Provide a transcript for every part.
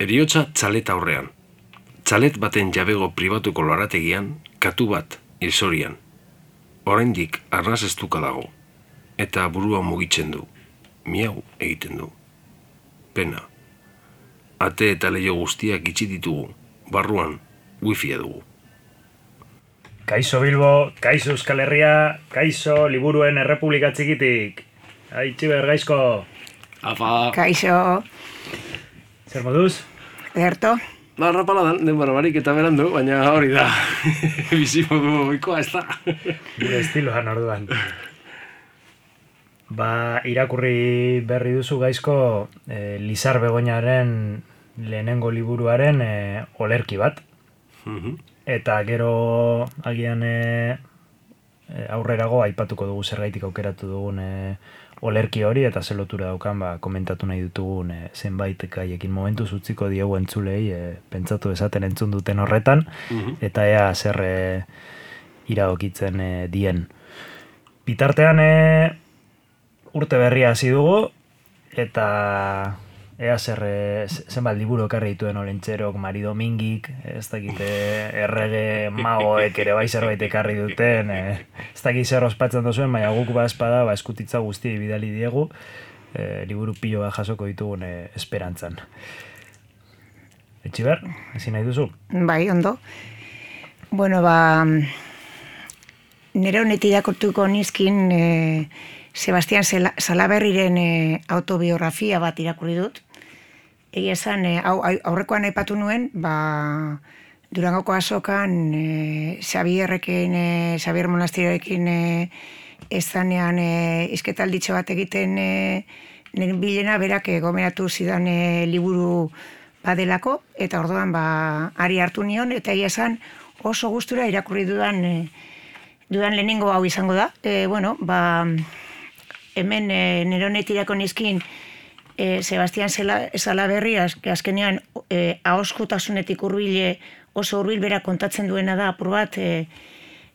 Eriotza txalet aurrean. Txalet baten jabego pribatuko lorategian, katu bat, hilzorian. Oraindik arnaz estuka dago. Eta burua mugitzen du. Miau egiten du. Pena. Ate eta leio guztiak itxi ditugu. Barruan, wifia dugu. Kaixo Bilbo, kaixo Euskal Herria, kaixo Liburuen Errepublika Txikitik. Aitziber, gaizko. Apa. Kaixo. Zer moduz? Ederto. Rapaladan, denbora barik eta berandu, baina hori da. Bizimodu oikoa ez da. Gure estiloan orduan. Irakurri berri duzu gaizko Lizar Begoñaren lehenengo liburuaren olerki bat. Eta gero agian aurrerago aipatuko dugu zergaitik aukeratu dugun olerki hori eta ze lotura daukan komentatu nahi ditugun zenbait gaiekin momentuz utziko diegu entzulei pentsatu esaten entzun duten horretan eta ea zer iradokitzen dien. Bitartean urte berria hasi dugu eta ea zenbat liburu ekarri dituen Olentxerok, Mari Domingik, ez dakite errege magoek ere bai zerbait ekarri duten, ez dakit zer ospatzen duzuen, baina guk espada eskutitza guzti bidali diegu, liburu pilo bat jasoko ditugun esperantzan. Etxiber, ezin nahi duzu? Bai, ondo. Bueno, nire honetik irakurtuko nizkin Sebastian Salaberriren autobiografia bat irakurri dut. Egia esan, aurrekoan aipatu nuen, Durangoko azokan Xabier Monasteriorekin ez zanean izketalditxo bat egiten nire bilena berak gomenatu zidan liburu badelako, eta orduan ari hartu nion, eta egia esan oso gustura irakurri dudan lehenengo hau izango da. Hemen nire honetirako nizkin Sebastian Salaberri azkenean ahoskotasunetik oso hurbil bera kontatzen duena da apur bat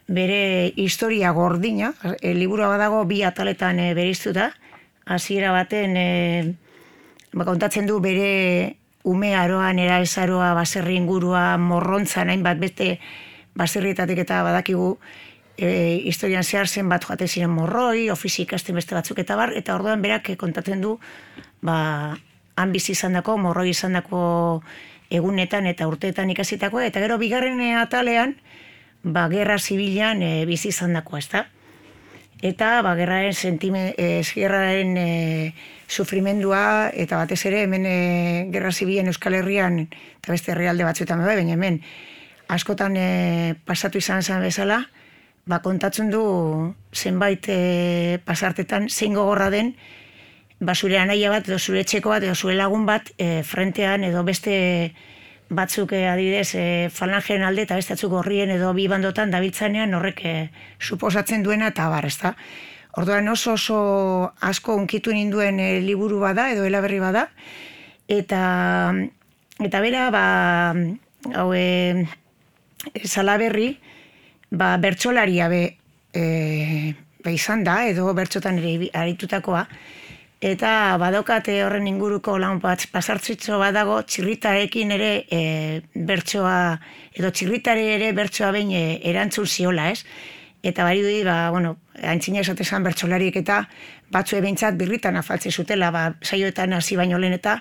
bere historia gordina, liburua badago 2 ataletan bereiztuta, hasiera baten kontatzen du bere ume aroan, erabezaroa, baserri ingurua, morrontzan hainbat beste baserrietatik eta badakigu historian zehar zen bat joate ziren morroi, ofizi ikasten beste batzuk eta bar, eta orduan berak kontatzen du han bizi izandako, morroi izandako egunetan eta urteetan ikasitakoa, eta gero bigarren atalean gerra zibilan bizi izandakoa, ezta? Eta gerraren sufrimendua, eta batez ere hemen gerra zibilen Euskal Herrian, eta beste herrialde batzuetan bai, baina hemen askotan pasatu izan zen bezala, kontatzen du zenbait pasartetan zein gogorra den zure anaia bat, edo zure etxeko bat, edo zure lagun bat frentean edo beste batzuk adibidez falangeen alde eta beste batzuk gorrien edo bi bandotan dabiltzanean horrek suposatzen duena eta bar, ezta? Orduan oso asko hunkitu ninduen liburu bada edo eleberri bada eta bera Salaberri bertsolaria izan da, edo bertsotan ere aritutakoa, eta badokate horren inguruko lan bat pasartzitzo badago txirritarekin ere bertsoa, edo txirritare ere bertsoa behin erantzun ziola, ez? Eta bari dudi, antzina esatezan bertsolariek eta batzu behintzat birritan afaltze zutela, saioetan hasi baino lehen eta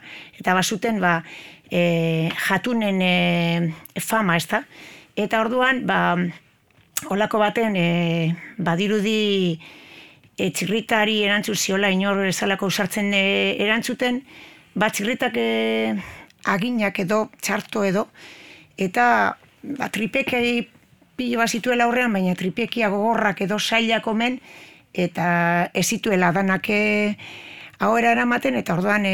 bazuten jatunen fama, ez da? Eta orduan, olako baten badirudi txirritari erantzun ziola inor ezalako usartzen erantzuten, txirritak aginak edo, txarto edo, eta tripekei pilo bat zituela aurrean, baina tripekia gogorrak edo zailak omen, eta ez zituela danak ahora eramaten, eta orduan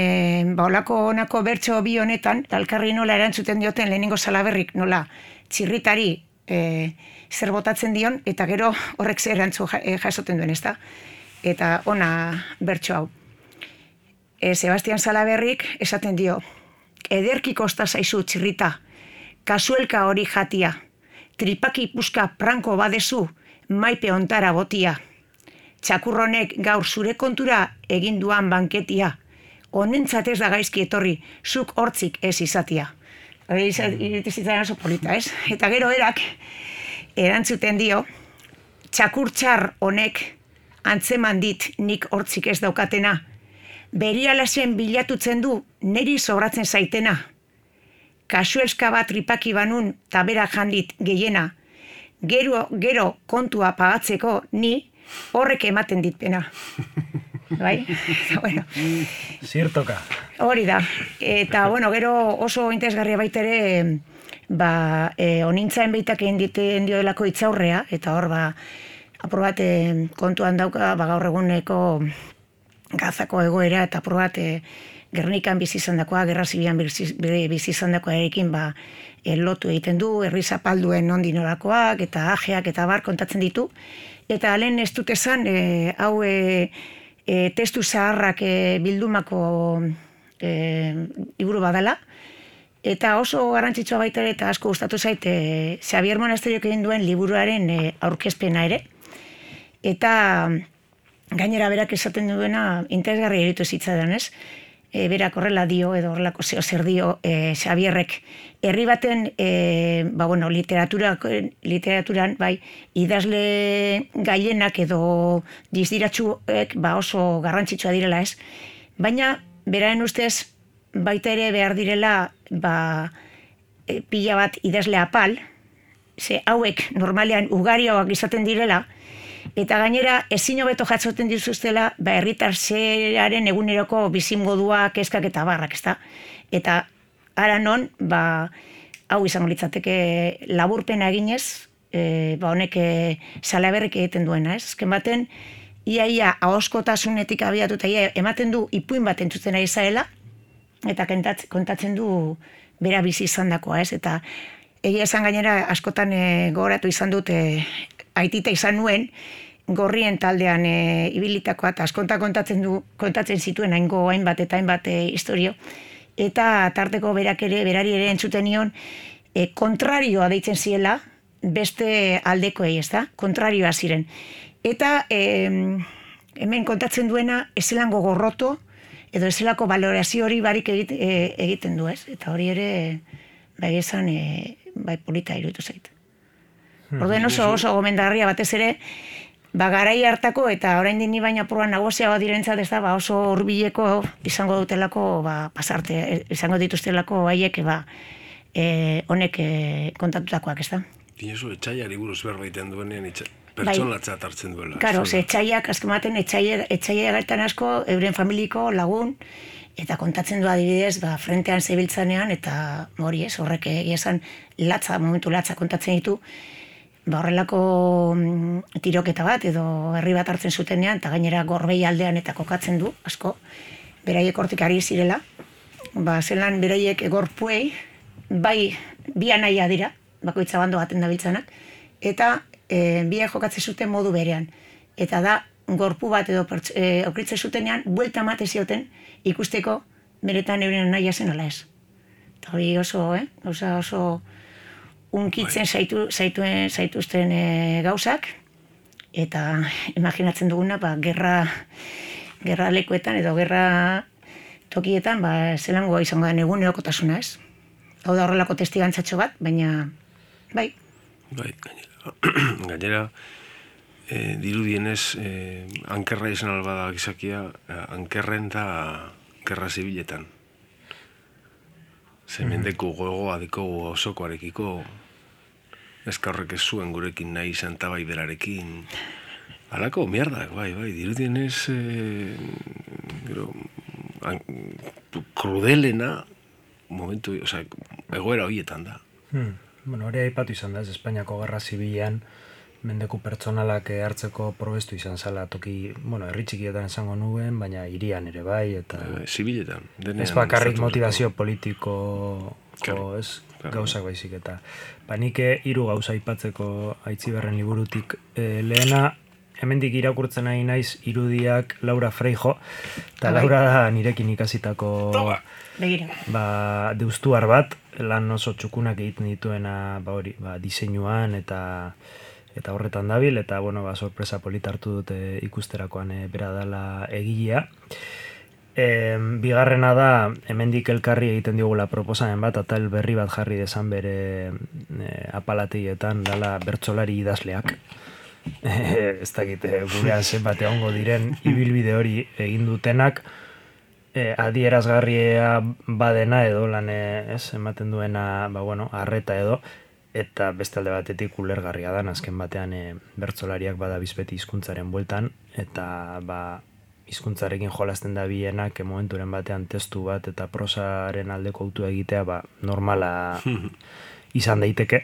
olako honako bertso bi honetan, elkarri nola erantzuten dioten lehenengo Salaberrik nola txirritari zer botatzen dion, eta gero horrek zer erantzu jasoten duen, ezta? Eta ona bertso hau. Sebastian Salaberrik esaten dio, ederki kosta zaizu txirrita, kasuelka hori jatia, tripaki puska pranko badezu, maipe ontara botia. Txakurronek gaur zure kontura egin duan banketia, honentzat ez da gaizki etorri, zuk hortzik ez izatia. Hori iruditzen oso polita, ez? Eta gero erak, erantzuten dio, txakurtxar honek antzeman dit nik hortzik ez daukatena, berialazen bilatutzen du neri sobratzen zaitena. Kasuelska bat tripaki banun taberak jandit gehiena, gero kontua pagatzeko ni horrek ematen dit pena. Bai? Bueno. Zirtoka. Hori da. Eta, bueno, gero oso interesgarria baitere, onintzaen behitak egin diten diodelako itzaurrea, eta hor, apur bat kontuan dauka, gaur eguneko Gazako egoera, eta apur bat Gernikan bizi izan dakoa, Gerra Zibilan bizi izan dakoa erekin, lotu egiten du, herri zapalduen nondik norakoak, eta ajeak, eta bar kontatzen ditu. Eta lehen ez dut esan, hau testu zaharrak bildumako liburu badala, eta oso garrantzitsua baita ere, eta asko gustatu zait, Xabier Monasteriok egin duen liburuaren aurkezpena ere, eta gainera berak esaten duena interesgarria iruditu zitzaidan, ez? Berak horrela dio, edo horrelako zer dio Xabierrek. Herri baten, literaturan, bai, idazle gailenak edo dizdiratsuek oso garrantzitsua direla, ez? Baina, beraren ustez, baita ere behar direla, pila bat idazle apal, ze hauek normalean ugarioak izaten direla, eta gainera ezin hobeto jatzoten dituztela herritar zeraren eguneroko bizimodua, kezkak eta barrak, ezta? Eta ara non, hau izango litzateke laburpena eginez, honek Salaberrik egiten duena, ez? Azken baten, ia ahoskotasunetik abiatuta, ematen du ipuin bat entzuten ari zaela, eta kontatzen du bera bizi izandakoa, ez? Eta egia esan gainera askotan gogoratu izan dut aitita izan nuen, gorrien taldean ibilitakoa, eta askonta kontatzen zituen hainbat eta hainbat historio, eta tarteko berari ere entzuten nion, kontrarioa deitzen ziela, beste aldekoei, ez da? Kontrarioa ziren. Eta hemen kontatzen duena, ezelango gorroto, edo ezelako valorazio hori barik egiten du, ez? Eta hori ere, esan, polita iruditu zait. Orduen oso gomendarria batez ere, garai hartako eta oraindik ni baina apurra nagusiagoa direntzat, ez da, oso hurbileko izango dutelako, pasarte, izango dituztelako haiek, honek kontatutakoak, ez da. Dinosu, etxaiari buruz berbaiten duenean, pertsonatzat hartzen duela. Karo, etxaiak, azkematen, etxaiak asko, euren familiko lagun, eta kontatzen du adibidez, frentean zebiltzanean, eta hori ez, horrek esan momentu latza kontatzen ditu, horrelako tiroketa bat, edo herri bat hartzen zutenean, eta gainera Gorbei aldean eta kokatzen du, asko, beraiek hortik ari zirela, zelan beraiek gorpuei, bi anaia dira, bakoitza bando baten dabiltzanak, eta biak jokatzen zuten modu berean. Eta da, gorpu bat edo okritzen zutenean, buelta emate zioten ikusteko beretan euren anaia zen ala ez. Eta hori oso unkitzen zaituzten gauzak, eta imaginatzen duguna, gerra lekuetan edo gerra tokietan, zelangoa izango den egunerokotasuna, ez? Hau da horrelako testigantzatxo bat, baina, bai. Gainera, dirudienez, ankerra izan albada gizakia, ankerren da gerra zibiletan. Zemendeko gogoa deko osokoarekiko, ezkarrek ez zuen gurekin nahi izan tabai berarekin. Halako, mierdak, bai, dirudienez, krudelena, momentu, egoera horietan da. Bueno, hori aipatu izan da, ez Espainiako Gerra Zibilean, mendeku pertsonalak hartzeko probestu izan zala toki, herri txikietan esango nuen, baina hirian ere bai, eta... Zibiletan. Ez bakarrik motivazio politiko, gauzak baizik, eta... Nik 3 gauza aipatzeko Aitziberren liburutik lehena, hemendik irakurtzen nahi naiz irudiak Laura Freijo, eta Laura da nirekin ikasitako deustuar bat, lan oso txukunak egiten dituena diseinuan eta horretan dabil, eta sorpresa polita hartu dute ikusterakoan bera dela egilea. Bigarrena da, hemendik elkarri egiten diogula proposamen bat, atal berri bat jarri desan bere apalateietan, dala bertsolari idazleak. Ez dakit, gurean zenbat egongo diren ibilbide hori egin dutenak, adierazgarria badena edo lan ematen duena, arreta edo, eta beste alde batetik ulergarria da, azken batean bertsolariak bada bizbeti hizkuntzaren bueltan, eta hizkuntzarekin jolasten da bienak momenturen batean testu bat eta prosaren aldeko autua egitea normala izan daiteke,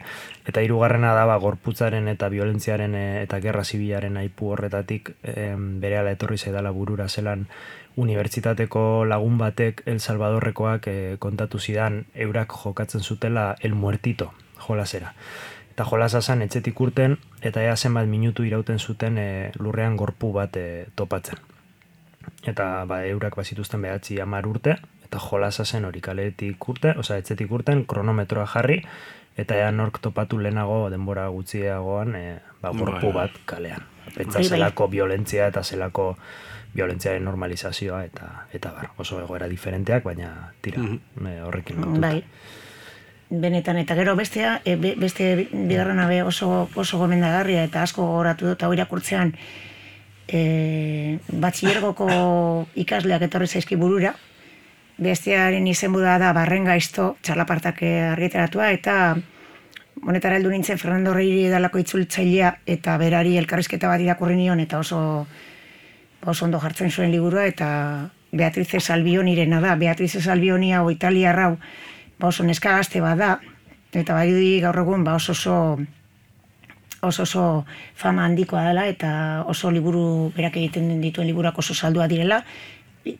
eta hirugarrena da gorputzaren eta violentziaren eta gerra zibilaren aipu horretatik berehala etorri zaidala burura zelan unibertsitateko lagun batek El Salvadorrekoak kontatu zidan eurak jokatzen zutela El Muertito jolasera. Eta jolasa zen etxetik urten eta ea zenbat minutu irauten zuten lurrean gorpu bat topatzen. Eta eurak bazituzten 9-10 urte, eta jolasa zen hori kaletik urte, etxetik urten, kronometroa jarri, eta ea nork topatu lehenago denbora gutxiagoan gorpu bat kalean. Pentsa zelako violentzia eta zelako violentziaren normalizazioa eta oso egoera diferenteak, baina tira, horrekin lotuta. Bai. Benetan, eta gero beste bigarrena oso gomendagarria eta asko gogoratu dut hau irakurtzean batxillergoko ikasleak etorri zaizki burura, bestearen izenbuda da Barren Gaizto, txalapartak argitaratua, eta honetara heldu nintzen Fernando Reiri edalako itzultzailea, eta berari elkarrizketa bat irakurri nion, eta oso ondo jartzen zuen liburua, eta Beatrice Salvionirena da. Beatrice Salvioni hau italiarrau oso neska gazte bat da, eta bai gaur egun oso fama handikoa dela, eta oso liburu berak egiten dituen liburuak oso saldua direla,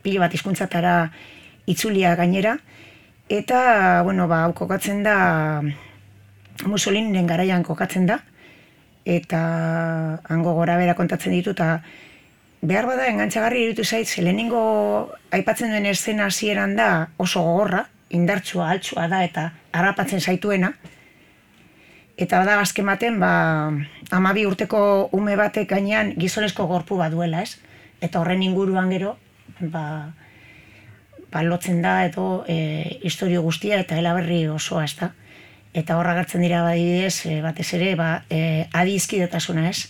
pilo bat hizkuntzatara itzulia gainera, eta, hau kokatzen da, Mussoliniren garaian kokatzen da, eta hango gora bera kontatzen ditu, eta behar bada engantzagarri irutu zait, lehenengo aipatzen duen eszena hasieran da oso gogorra, indartsua, altsua da, eta harrapatzen zaituena, eta bada azken baten, 12 urteko ume batek gainean gizonezko gorpu bat duela, ez? Eta horren inguruan gero, lotzen da edo historio guztia eta elaberri osoa, ez da? Eta horra gertzen dira badidez, batez ere, adizkidetasuna, ez?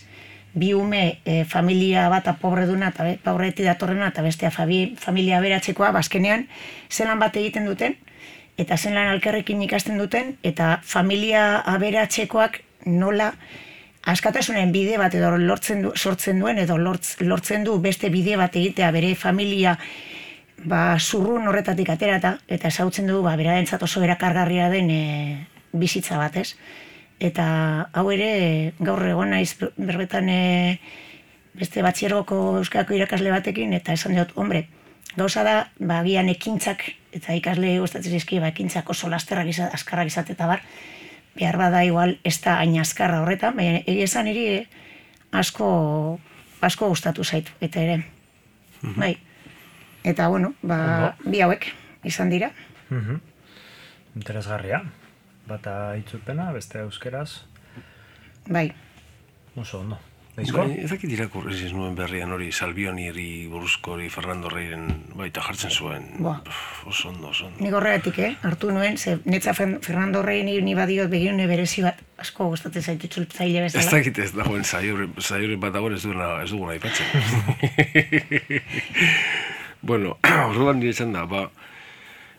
Bi ume familia bata pobreduna eta pobretik datorrena eta bestea familia aberatzekoa, bazkenean zelan bat egiten duten, eta zelan alkerrekin ikasten duten, eta familia aberatzekoak nola askatasunen bide bat edo sortzen duen, edo lortzen du beste bide bat egitea bere familia zurrun horretatik aterata, eta ezautzen du berarentzat oso erakargarria den bizitza bat, ez? Eta hau ere gaur egon naiz berbetan beste batxiergoko euskako irakasle batekin, eta esan dut, hombre, gauza da, agian ekintzak, eta ikasle gustatzen zaizkie, ekintzak oso azkarrak izate eta behar bada igual ez da hain azkarra horretan, baina egia esan iri asko gustatu zaitu, eta ere. Bai. Eta, bi hauek izan dira. Interesgarria. Bata itzulpena, beste euskeraz. Bai. Oso ondo. Ezakit irakurri ez nuen berrian hori Salvioniri buruzko hori Fernando Reiren baita jartzen zuen. Oso ondo. Nik horregatik, hartu nuen, netza Fernando Rei ni badiot begirune berezi bat, asko gustatzen zaitu itzultzaile bezala. Ez dakit ez dagoen saioren bat dagoen ez duguna aipatzen. Orduan nire txan da,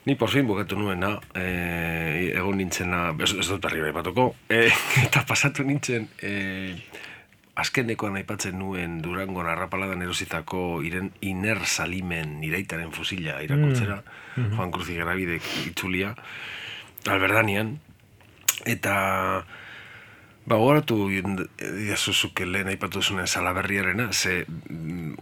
ni por fin bukatu nuena, egon nintzena, ez dut berri aipatuko, eta pasatu nintzen, azkenekoan aipatzen nuen Durangon arrapaladan erositako Iner Salimen iraitaren fusila irakurtzera, Juan Cruz Igarabidek itzulia, Alberdanian, eta gogoratu diazuzuke lehen aipatu zuen Salaberriarena, ze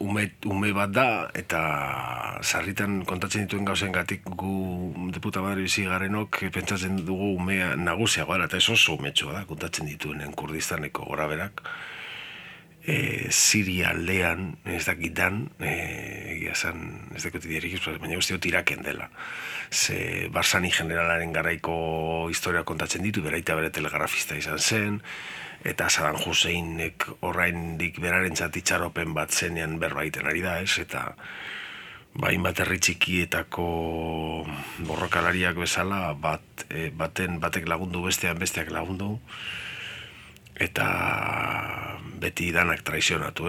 ume bat da, eta sarritan kontatzen dituen gauzen gatik gu deputa badari bizi garenok pentsatzen dugu umea nagusiagoa, eta ez oso umetxoa da, kontatzen dituenen Kurdistaneko goraberak, Siria aldean, ez dakitan, egia zan, ez dakit diarik, baina guzti dut Iraken dela. Ze Barzani generalaren garaiko historia kontatzen ditu, beraita bere telegrafista izan zen, eta Saddam Husseinek oraindik berarentzat itxaropen bat zenean berbaiten ari da, ez? Eta hainbat herri txikietako borrokalariak bezala, batek lagundu, besteak lagundu, eta beti danak traizionatu,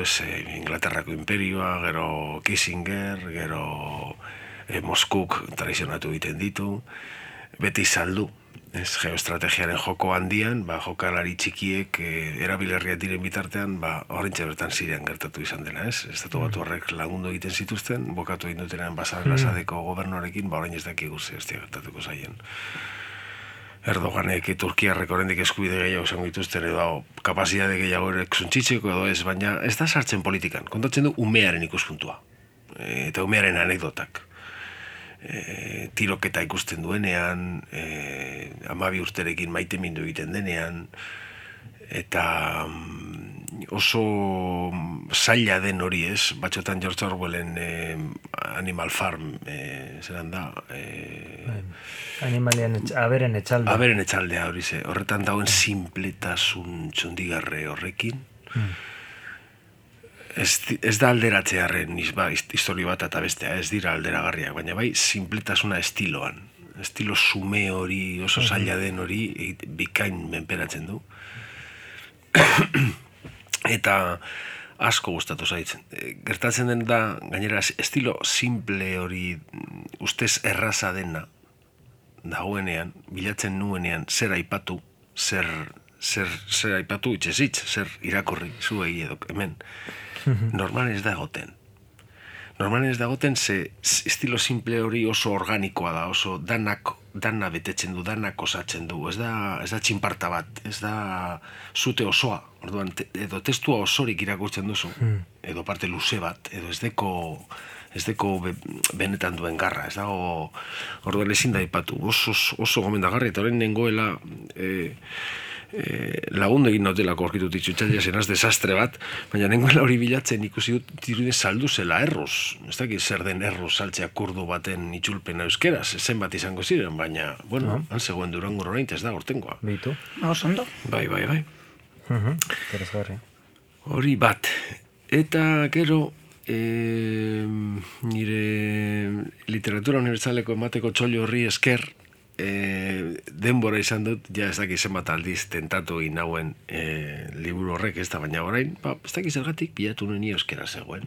Inglaterrako imperioa, gero Kissinger, gero Moskuk traizionatu egiten ditu, beti saldu, geoestrategiaren joko handian, jokalari txikiek erabilerriak diren bitartean, horrentxe bertan Sirian gertatu izan dena, Estatu Batuarrek lagundu egiten zituzten, bokatu egin dutenean Basar al-Asadeko gobernuarekin, orain ez dakik guzti gertatuko zaien. Erdoganek Turkiarrek oraindik eskubide gehiago izango dituzten edo kapazitate gehiago suntzitzeko edo ez, baina ez da sartzen politikan. Kontatzen du umearen ikuspuntua eta umearen anekdotak. Tiroketa ikusten duenean, 12 urterekin maitemindu egiten denean, eta oso zaila den hori batxotan George Orwellen Animal Farm, zelan da? Aberen etxaldea. Aberen etxaldea hori horretan dauen sinpletasun txundigarre horrekin. Ez da alderatzearen historio bat eta bestea, ez dira alderagarriak, baina bai sinpletasuna estiloan. Estilo sume hori, oso zaila den hori, bikain menperatzen du. Eta asko gustatu zaitzen. Gertatzen den da, gainera, estilo simple hori ustez erraza dena, dagoenean, bilatzen nuenean, zer aipatu, zer aipatu, itxezitz, zer irakurri, zuei edo hemen. Normalen ez da egoten. Normalen ez da egoten ze estilo simple hori oso organikoa da, oso dana betetzen du, danak osatzen du, ez da txinparta bat, ez da zute osoa, orduan, edo testua osorik irakurtzen duzu, edo parte luze bat, edo ez deko benetan duen garra, ez dago, orduan ezin da ipatu, oso gomendagarri, eta horren nengoela lagundu egin nautelako aurkitu ditutxaila zenaz desastre bat, baina nengoela hori bilatzen ikusi dut dirudien saldu zela erruz. Ez dakit zer den erruz saltzea kurdu baten itxulpena euskeraz, zenbat izango ziren, baina, bueno, han zegoen Durango orain ez da hortengoa. Bitu. Osondo. Bai. Interesgarria. Hori bat. Eta gero, nire literatura unibertsaleko emateko txollo horri esker, denbora izan dut, ja ez dakit zenbat aldiz tentatu egin nauen liburu horrek, ez da, baina orain, ez dakit zergatik bilatu nuen euskera zegoen.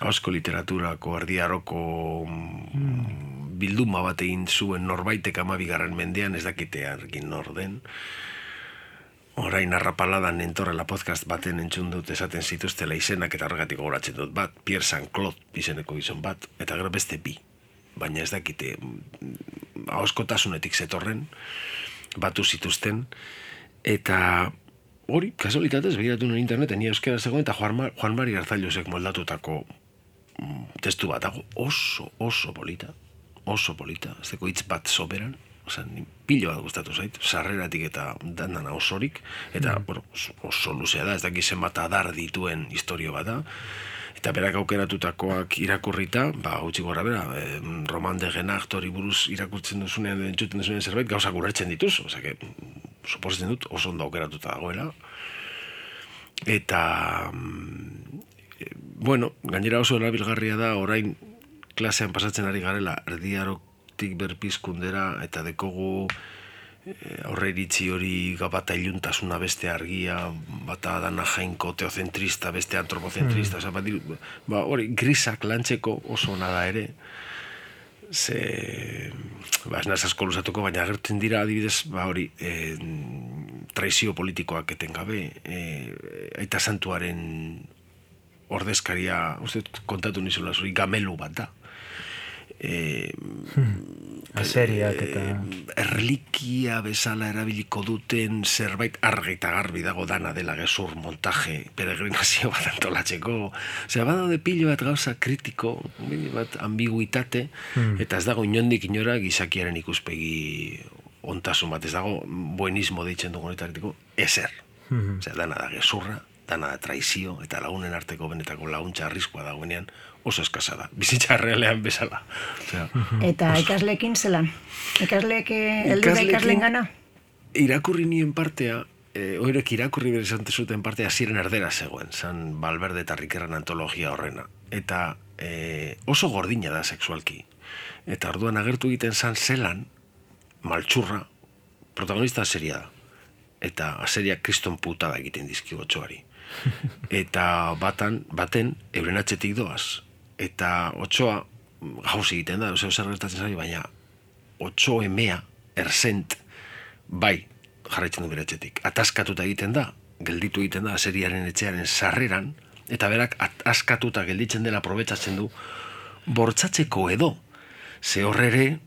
Asko literaturako erdiaroko bilduma bat egin zuen norbaitek 12. mendean, ez dakitearkin nor den. Orain arrapaladan entorrela podcast baten entzun dut esaten zituztela izenak eta horregatik gogoratzen dut bat, Pierre Saint-Claude izeneko gizon bat, eta gero beste bi. Baina ez dakite ahoskotasunetik zetorren, batu zituzten, eta hori, kasualitatez, begiratu nuen interneten, ni euskera zegoen, eta Juan Mari Garzailosek moldatutako testu bat dago, oso polita, ez deko hitz bat soberan, pilo bat gustatu zait, sarreratik eta dandana osorik, eta oso luzea da, ez dakit zenbat adar dituen historio bat da, eta berak aukeratutakoak irakurrita, gutxi gora bera, Roman de Genacht hori buruz irakurtzen duzunean, entzuten duzunean zerbait, gauzak urretzen dituzu, suposatzen dut oso ondo aukeratuta dagoela. Eta, bueno, gainera oso erabilgarria da, orain klasean pasatzen ari garela, erdiarotik berpizkundera, eta dekogu aurre iritzi hori bata iluntasuna beste argia, bata dana jainko teozentrista, beste antropozentrista, hori grisak lantzeko oso nada ere, ez naz asko luzatuko, baina agertzen dira adibidez, hori, traizio politikoak etengabe, Aita Santuaren ordezkaria, uste kontatu nizula zuri, gamelu bat da. Aseriak eta erlikia bezala erabiliko duten zerbait argi eta garbi dago dana dela gezur montaje peregrinazio bat antolatzeko, badaude pilo bat gauza kritiko, bat ambiguitate, eta ez dago inondik inora gizakiaren ikuspegi ontasun bat, ez dago buenismo deitzen dugu honetaretiko ezer, dana da gezurra, dana da traizio, eta lagunen arteko benetako laguntza arriskoa dagoenean oso eskasa da, bizitza realean bezala. Eta ikasleekin zelan? Heldu da ikasleen gana? Irakurri nien partea, oirek irakurri bere zuten partea ziren erdera zegoen, zan Valverde eta Riquerran antologia horrena. Eta oso gordina da sexualki. Eta orduan agertu egiten zan zelan, maltsurra, protagonista seria da. Eta aseria kriston putada egiten dizki otsoari. Eta baten euren atxetik doaz. Eta otsoa gauz egiten da, zer gertatzen zari, baina otso emea, erzent, bai, jarraitzen du bere etxetik. Ataskatuta egiten da, gelditu egiten da aseriaren etxearen sarreran, eta berak askatuta gelditzen dela aprobetxatzen du, bortzatzeko edo, ze horrere,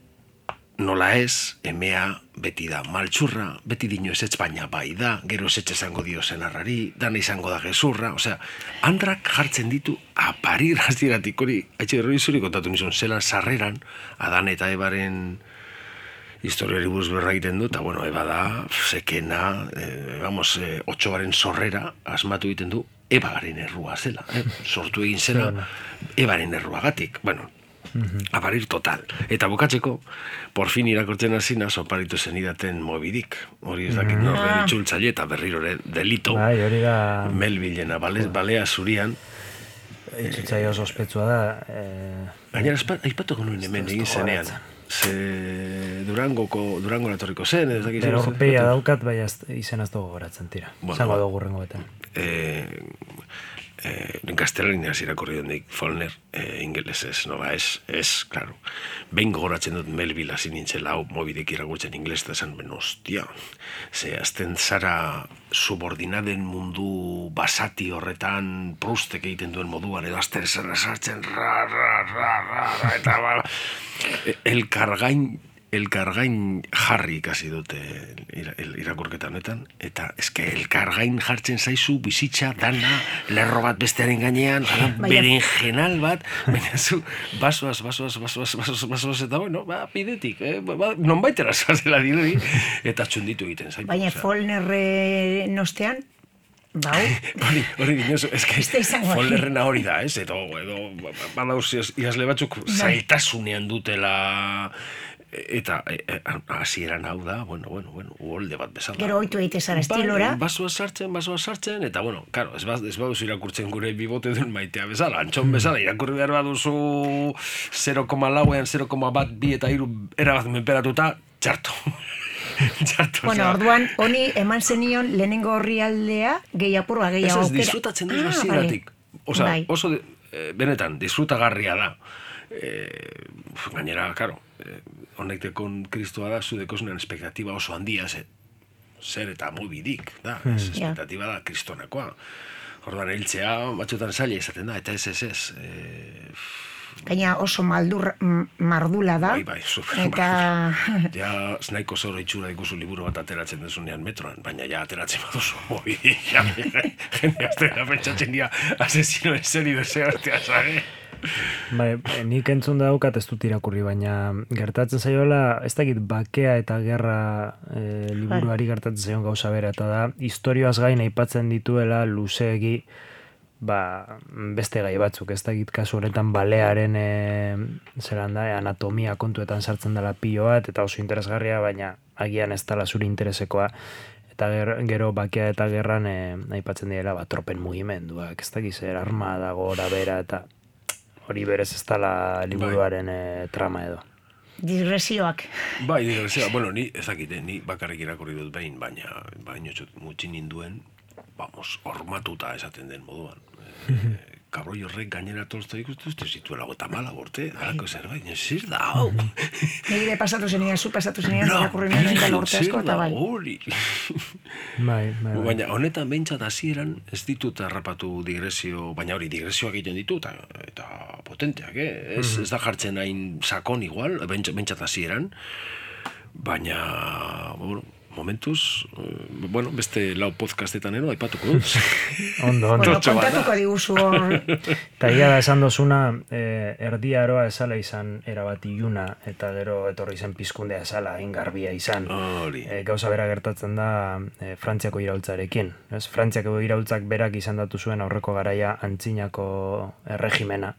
nola ez, emea beti da maltsurra, beti dino ezetz baina bai da, gero ezetz esango dio zenarrari, dana izango da gezurra, osea, andrak jartzen ditu aparir hastiratik hori, haitxe gero izuri kontatu nizun, zelan sarreran, Adan eta Ebaren historiari buruz berra egiten du, eta bueno, Eba da, sekena, otxobaren sorrera, asmatu egiten du, Ebaren errua zela, sortu egin zela, Ebaren erruagatik, bueno, aparir total. Eta bukatzeko, por fin irakortzen hasina oparitu zenidaten Mobidik. Hori ez dakit norren itzultzaile eta berriro delito. Bai, hori da... Melbilena, balea zurian. Itzultzaile oso ospetsua da. Gainera, aipatuko nuen hemen egin zenean. Ze Durango etorriko zen, ez dakit. Berorpeia daukat, bai izen ez dugu goratzen tira. Zango dugu rengo beten. Gaztelaniaz irakorri dendik Follner, ingelesez, no ba, ez, claro. Behin gogoratzen dut Melville hasi nintzela, hau Mobidik irakurtzen ingeles, eta esan, hostia, ze azten zara subordinaden mundu basati horretan Proustek egiten duen moduan, edo azten zara sartzen, eta elkargain jarri ikasi dute irakurketa honetan, eta eske elkargain jartzen zaizu bizitza dana, lerro bat bestearen gainean, berenjenal bat, baina zu, basoaz, eta bueno, pidetik, non baitera zazela dirudi, eta txunditu egiten zaitu. Baina Follnerre nostean, bau? Hori dinosu, eske Follnerrena hori da, ez? Edo badauz iazle batzuk zailtasunean dutela... Eta hasieran hau da, bueno, uholde bat bezala. Gero oitu egite zara estilora. Basoa sartzen, eta bueno, karo, ez baduzu irakurtzen gure bibote duen maitea bezala, antxon bezala, irakurri behar baduzu 0,lauean, 0,1, eta 3 erabat menperatuta, txarto. Bueno, orduan, honi eman zenion lehenengo horrialdea gehiapurua gehiago aukera. Ez disfrutatzen duzu hasieratik. Osa, oso, benetan, disfrutagarria da. Gainera, karo, honek dekon Kristoa da, zu dekozunean espektatiba oso handia, zer eta Mobidik, da, espektatiba da kristonakoa. Orduan, hiltzea, batxotan zaila izaten da, eta ez. Gaina oso mardula da. Bai, eta... Ja, znaiko zoro itxura ikusu liburu bat ateratzen dezunean metroan, baina ja ateratzen baduzu Mobidik. Jende aztera pentsatzen dira, asesino en serio desea artea zare. Bai, nik entzun daukat ez dut irakurri, baina gertatzen zaiola, ez dakit bakea eta gerra liburuari gertatzen zaion gauza bera, eta da, historioaz gain aipatzen dituela luzeegi beste gai batzuk, ez dakit kasu honetan balearen anatomia kontuetan sartzen dela pilo bat, eta oso interesgarria, baina agian ez dela zure interesekoa, eta gero bakea eta gerran aipatzen direla tropen mugimenduak, ez dakit zer armada gora bera, eta hori berez ez dela liburuaren trama edo. Digresioak. Bai, digresioak. Bueno, ni ez dakite, ni bakarrik irakurri dut behin, baina mutxin ninduen, hormatuta esaten den moduan. Kabroi horrek gainera Tolstoi ikustu zituela gota mala borte, halako zerbait, zir da, hau. Nire pasatu zenian, zu pasatu zenian, irakurri nien da lorte asko, eta bai. Bai. Baina honetan behintzat hasieran ez ditut harrapatu digresio, baina hori digresioak egiten ditu, eta potenteak, ez da jartzen hain sakon igual, behintzat hasieran, baina, momentuz, beste lau podcastetan ero, aipatuko dut. Ondo. Kontatuko diguzu hor. Eta ia da esan dozuna, erdi aroa esala izan erabat iluna, eta gero etorri zen pizkundea esala ingarbia izan. Gauza bera gertatzen da Frantziako iraultzarekin. Frantziako iraultzak berak izan datu zuen aurreko garaia antzinako erregimena.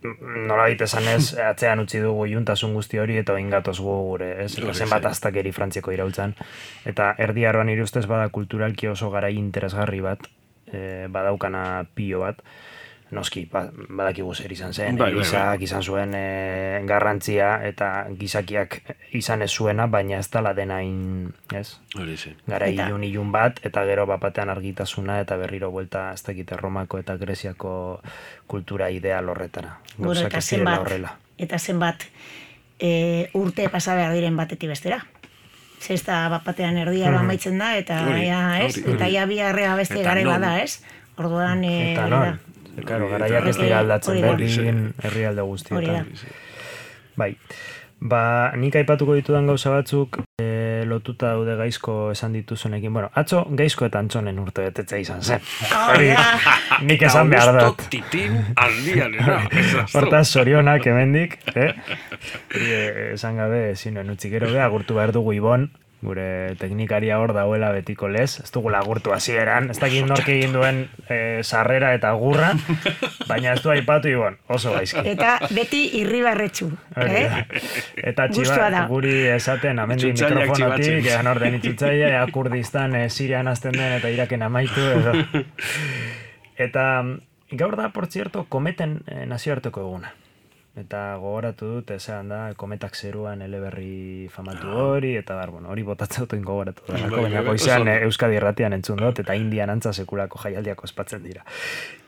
Nola bit esan ez, atzean utzi dugu juntasun guzti hori eta oingatoz gure, zenbat aztakeri Frantziako iraultzan. Eta erdi aroan nire ustez bada kulturalki oso garai interesgarri bat, badaukana pilo bat. noski, badakigu zer izan zen, Bai. gizak izan zuen garrantzia eta gizakiak izan ez zuena, baina ez dala denain, ez? Hori zen. Gara Eta- ilun bat, eta gero bapatean argitasuna, eta berriro buelta, ez dakite Romako eta Greziako kultura ideal horretara. Bueno, Gauzak eta ez direla zenbat, horrela. eta zenbat urte pasa behar diren batetik bestera. Ze ez da bat batean erdia amaitzen da, eta Hori, ja, ez? hori. Eta ja biharrea beste Eta garai non? bada, ez? Orduan, Eta hori non? da. Claro, Hori garaiak da. ez dira aldatzen Hori da. berdin herrialde Hori guztietan. da. Bai, nik aipatuko ditudan gauza batzuk lotuta daude gaizko esan dituzunekin. Bueno, atzo gaizko eta antzonen urte betetza izan zen. Hori, nik esan behar dut. Augusto Titin aldianera. Hortaz, sorionak hemendik, esan gabe ezin nuen utzi gero agurtu behar dugu Ibon, gure teknikaria hor dauela betiko lez, ez dugu agurtu hasieran, ez dakit nork egin duen sarrera eta gurra, baina ez du aipatu Ibon, oso gaizki. Eta beti irribarretxu. Hori da. Eta Gustua da. guri esaten amendi Itxutzaileak mikrofonotik, txibatzen. egan orden itxutzaia, ea Kurdistan Sirian azten den eta Iraken amaitu. Edo. Eta gaur da, por cierto, kometen nazioarteko eguna. Eta gogoratu dut, esan da, kometak zeruan eleberri famatu hori, eta bueno, hori botatzen dut gogoratu da. Baina goizean Euskadi Irratian entzun dut, eta Indian antza sekulako jaialdiak ospatzen dira.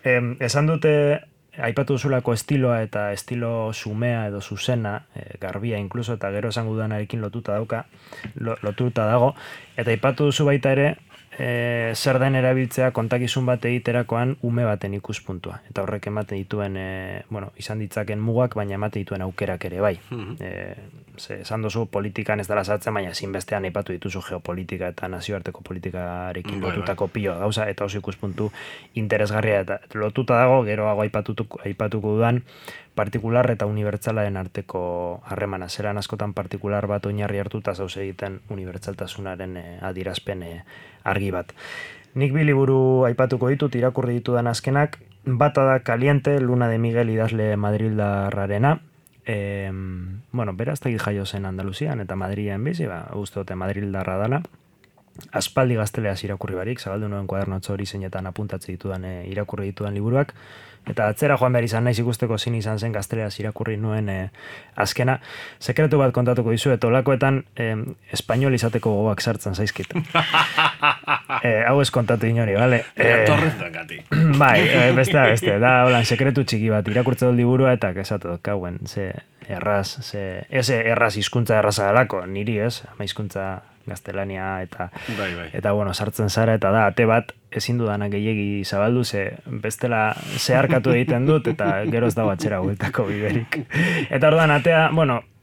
Esan dute, aipatu duzulako estiloa eta estilo sumea edo zuzena, garbia inkluso, eta gero esan dudanarekin lotuta dago, eta aipatu duzu baita ere, zer den erabiltzea kontakizun bat egiterakoan ume baten ikuspuntua. Eta horrek ematen dituen, izan ditzaken mugak, baina ematen dituen aukerak ere bai. Esan duzu politikan ez dela sartzen, baina ezinbestean aipatu dituzu geopolitika eta nazioarteko politikarekin lotutako pilo gauza, eta oso ikuspuntu interesgarria eta lotuta dago, geroago aipatuko dudan, partikular eta unibertsalaren arteko harremana. Zeran askotan partikular bat oinarri hartuta zauz egiten unibertsaltasunaren adierazpen argi bat. Nik bi liburu aipatuko ditut, irakurri ditudan azkenak, bata da Caliente, Luna de Miguel idazle madrildarrarena. Beraz tegit jaio zen Andaluzian eta Madrilen bizi, uste dute madrildarra dala. Aspaldi gazteleaz irakurri barik, zabaldu nuen kuadernotxo hori zeinetan apuntatze ditudan irakurri ditudan liburuak, eta atzera joan behar izan naiz ikusteko zin izan zen gazteleaz irakurri nuen azkena. Sekretu bat kontatuko dizu, eta olakoetan espainol izateko gogoak sartzen zaizkit. Hau ez kontatu inori, bale? Torretan gati. Bai, beste, da holan sekretu txiki bat, irakurtze dut liburua eta esatu dut, kauen, erraz hizkuntza erraza dalako, niri ez, ama hizkuntza gaztelania eta sartzen zara eta da ate bat ezin dudanak gehiegi zabaldu bestela zeharkatu egiten dut eta gero ez dago atzera bueltako biderik. Eta orduan atea,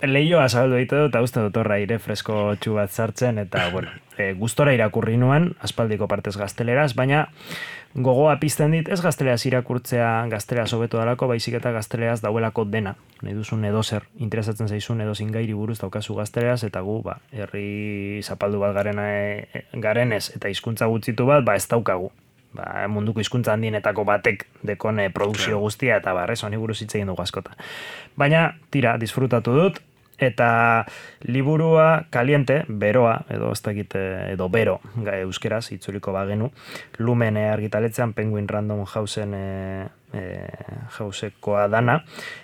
lehioa zabaldu egiten dut eta uste dut horra aire fresko txu bat sartzen eta gustora irakurri nuen, aspaldiko partez gazteleraz, baina gogoa pizten dit, ez gazteleaz irakurtzea gazteleaz hobeto dalako, baizik eta gazteleaz dauelako dena. Nahi duzun edozer, interesatzen zaizun edozin gairi buruz daukazu gazteleaz, eta gu, herri zapaldu bat garenez eta hizkuntza gutxitu bat, ez daukagu. Munduko hizkuntza handienetako batek dekon produkzio guztia, eta honi buruz hitz egin dugu askota. Baina, tira, disfrutatu dut, eta liburua Caliente, beroa, edo bero, euskeraz, itzuliko bagenu, Lumen argitaletzean Penguin Random Houseen jausekoa dana.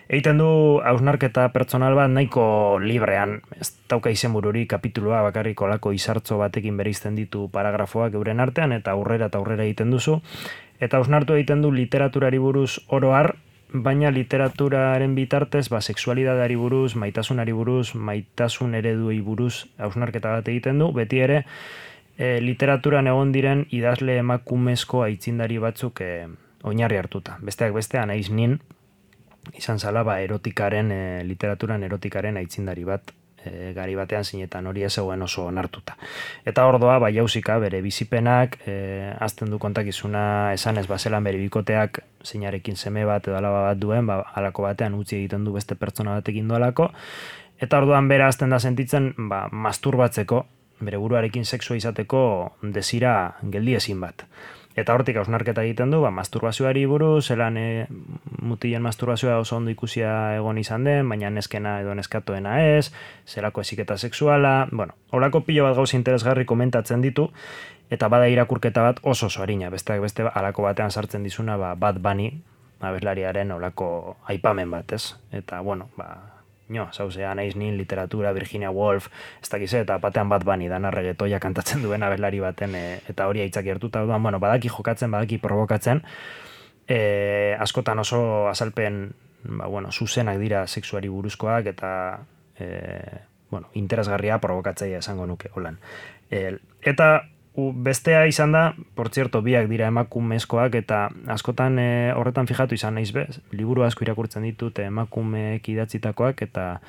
Egiten du hausnarketa pertsonal bat nahiko librean, ez dauka izenbururi kapitulua bakarrik olako izartzo batekin bereizten ditu paragrafoak euren artean, eta aurrera egiten duzu, eta hausnartu egiten du literaturari buruz oro har, baina literaturaren bitartez, sexualidadari buruz, maitasunari buruz, maitasun ereduei buruz hausnarketa bat egiten du, beti ere literaturan egon diren idazle emakumezko aitzindari batzuk oinarri hartuta. Besteak bestean naiz nin, izan zala erotikaren, literaturan erotikaren aitzindari bat, gari batean zinetan hori ez zegoen oso onartuta. Eta ordoa, jauzika, bere bizipenak, azten du kontakizuna esanez bazelan bere bikoteak zeinarekin seme bat edo alaba bat duen, halako batean utzi egiten du beste pertsona batekin duelako, eta orduan bera azten da sentitzen masturbatzeko, bere buruarekin sexua izateko desira geldiezin bat. Eta hortik hausnarketa egiten du, masturbazioari buruz, zelan mutilen masturbazioa oso ondo ikusia egon izan den, baina neskena edo neskatoena ez, zelako heziketa sexuala, horako pilo bat gauza interesgarri komentatzen ditu, eta bada irakurketa bat oso harina, besteak beste halako batean sartzen dizuna Bad Bunny, abeslariaren olako aipamen bat, ez? Eta, bueno, zauzea naiz nin literatura, Virginia Woolf, ez dakize, eta batean bat bani dan arregetoia kantatzen duen abeslari baten, eta hori aitzaki hartuta, bueno, badaki jokatzen, badaki provokatzen, askotan oso azalpen, zuzenak dira sexuari buruzkoak, eta, interesgarria provokatzaia esango nuke, holan. Eta, bestea izan da, por cierto, biak dira emakumezkoak, eta askotan horretan fijatu izan naiz bez, liburu asko irakurtzen ditut emakumeek idatzitakoak, eta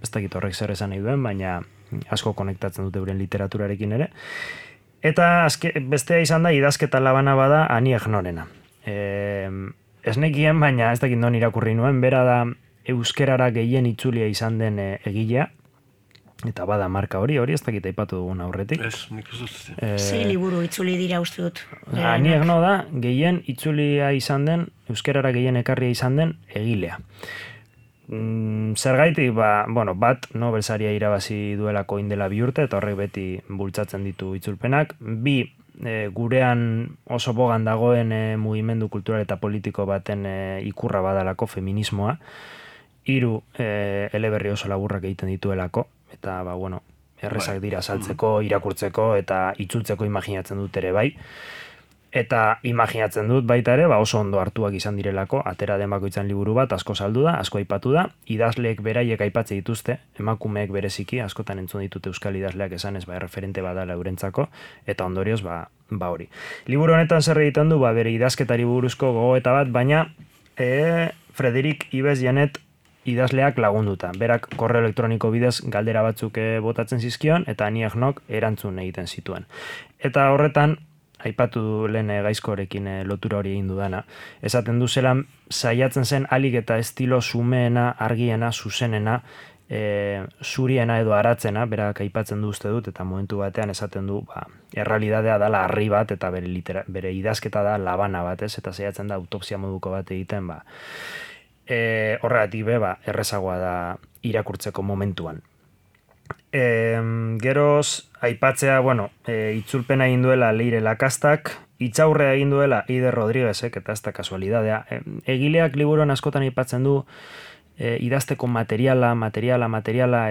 ez dakit horrek zer esan nahi duen, baina asko konektatzen dute euren literaturarekin ere. Eta bestea izan da, idazketa labana bada Annie Ernauxena. Ez nekien, baina ez dakit non irakurri nuen, bera da euskerara gehien itzulia izan den egilea, eta bada marka hori ez dakit aipatu dugun aurretik. Ez, nik ez dut. Sei liburu itzuli dira uste dut. Annie Ernaux da, gehien itzulia izan den, euskerara gehien ekarria izan den egilea. Zergaitik, bat Nobel saria irabazi duelako indela 2 urte, eta horrek beti bultzatzen ditu itzulpenak. 2, gurean oso bogan dagoen mugimendu kultural eta politiko baten ikurra badalako feminismoa. 3, eleberri oso laburrak egiten dituelako, eta errezak dira saltzeko, irakurtzeko eta itzultzeko imaginatzen dut ere bai. Eta imaginatzen dut baita ere, oso ondo hartuak izan direlako, atera den bakoitzan liburu bat, asko saldu da, asko aipatu da, idazleek beraiek aipatze dituzte, emakumeek bereziki, askotan entzun ditute euskal idazleak esanez, erreferente badala eurentzako, eta ondorioz, hori. Liburu honetan zer egiten du, bere idazketari buruzko gogoeta bat, baina Frederic Ives Genet idazleak lagunduta. Berak korreo elektroniko bidez galdera batzuk botatzen zizkion, eta Annie Ernaux erantzun egiten zituen. Eta horretan, aipatu lehen gaizkorekin lotura hori egin dudana, esaten du zelan saiatzen zen alik eta estilo sumeena, argiena, zuzenena, zuriena edo aratzena, berak aipatzen du uste dut, eta momentu batean esaten du, errealidadea dala harri bat, eta bere idazketa da labana bat, eta saiatzen da autopsia moduko bat egiten, horregatik errezagoa da irakurtzeko momentuan. Geroz, aipatzea, itzulpena egin duela Leire Lacastak, itzaurrea egin duela Eider Rodriguezek, eta ez da kasualidadea. Egileak liburuan askotan aipatzen du idazteko materiala,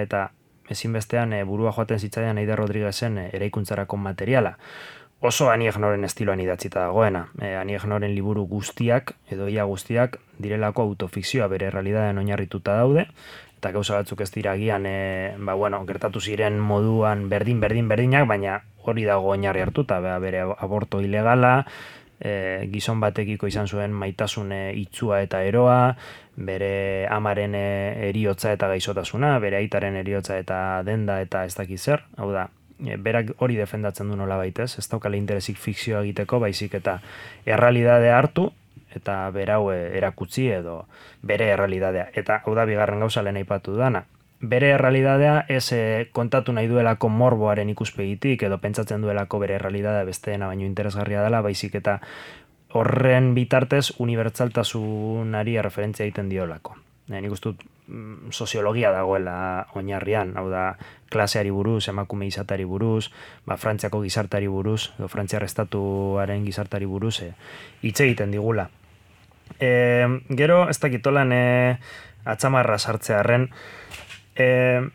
eta ezinbestean burua joaten zitzaidan Eider Rodriguezen eraikuntzarako materiala. Oso Annie Ernauxen estiloan idatzita dagoena. Annie Ernauxen liburu guztiak, edo ia guztiak, direlako autofikzioa bere realidadean oinarrituta daude, eta gauza batzuk ez dira agian, gertatu ziren moduan berdinak, baina hori dago oinarri hartuta, bere aborto ilegala, gizon batekiko izan zuen maitasun itzua eta eroa, bere amaren eriotza eta gaizotasuna, bere aitaren eriotza eta denda eta ez dakit zer, hau da, berak hori defendatzen du nola baitez, ez daukale interesik fikzioa egiteko, baizik eta errealidadea hartu, eta berau erakutsi edo bere errealidadea. Eta hau da bigarren gauza lehen aipatu dana. Bere errealidadea ez kontatu nahi duelako morboaren ikuspegitik edo pentsatzen duelako bere errealidadea besteena baino interesgarria dela, baizik eta horren bitartez unibertsaltasunari referentzia egiten diolako. Nik uste dut soziologia dagoela oinarrian, hau da klaseari buruz, emakume izatari buruz, Frantziako gizartari buruz, edo Frantziar estatuaren gizartari buruz, hitz egiten digula. Gero, ez dakitolan atzamarra sartzearren,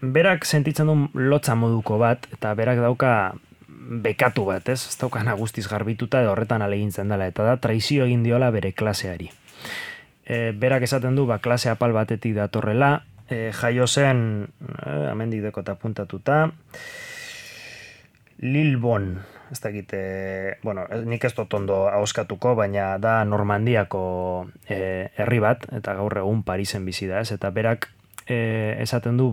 berak sentitzen du lotza moduko bat, eta berak dauka bekatu bat, ez daukana guztiz garbituta edo horretan alegintzen dela, eta da traizio egin diola bere klaseari. Berak esaten du, klase apal batetik datorrela, jaio zen, amendik dekota puntatuta, Lilbon, ez dakit, nik ez dut ondo ahoskatuko, baina da Normandiako herri bat, eta gaur egun Parisen bizi da, ez? Eta berak esaten du,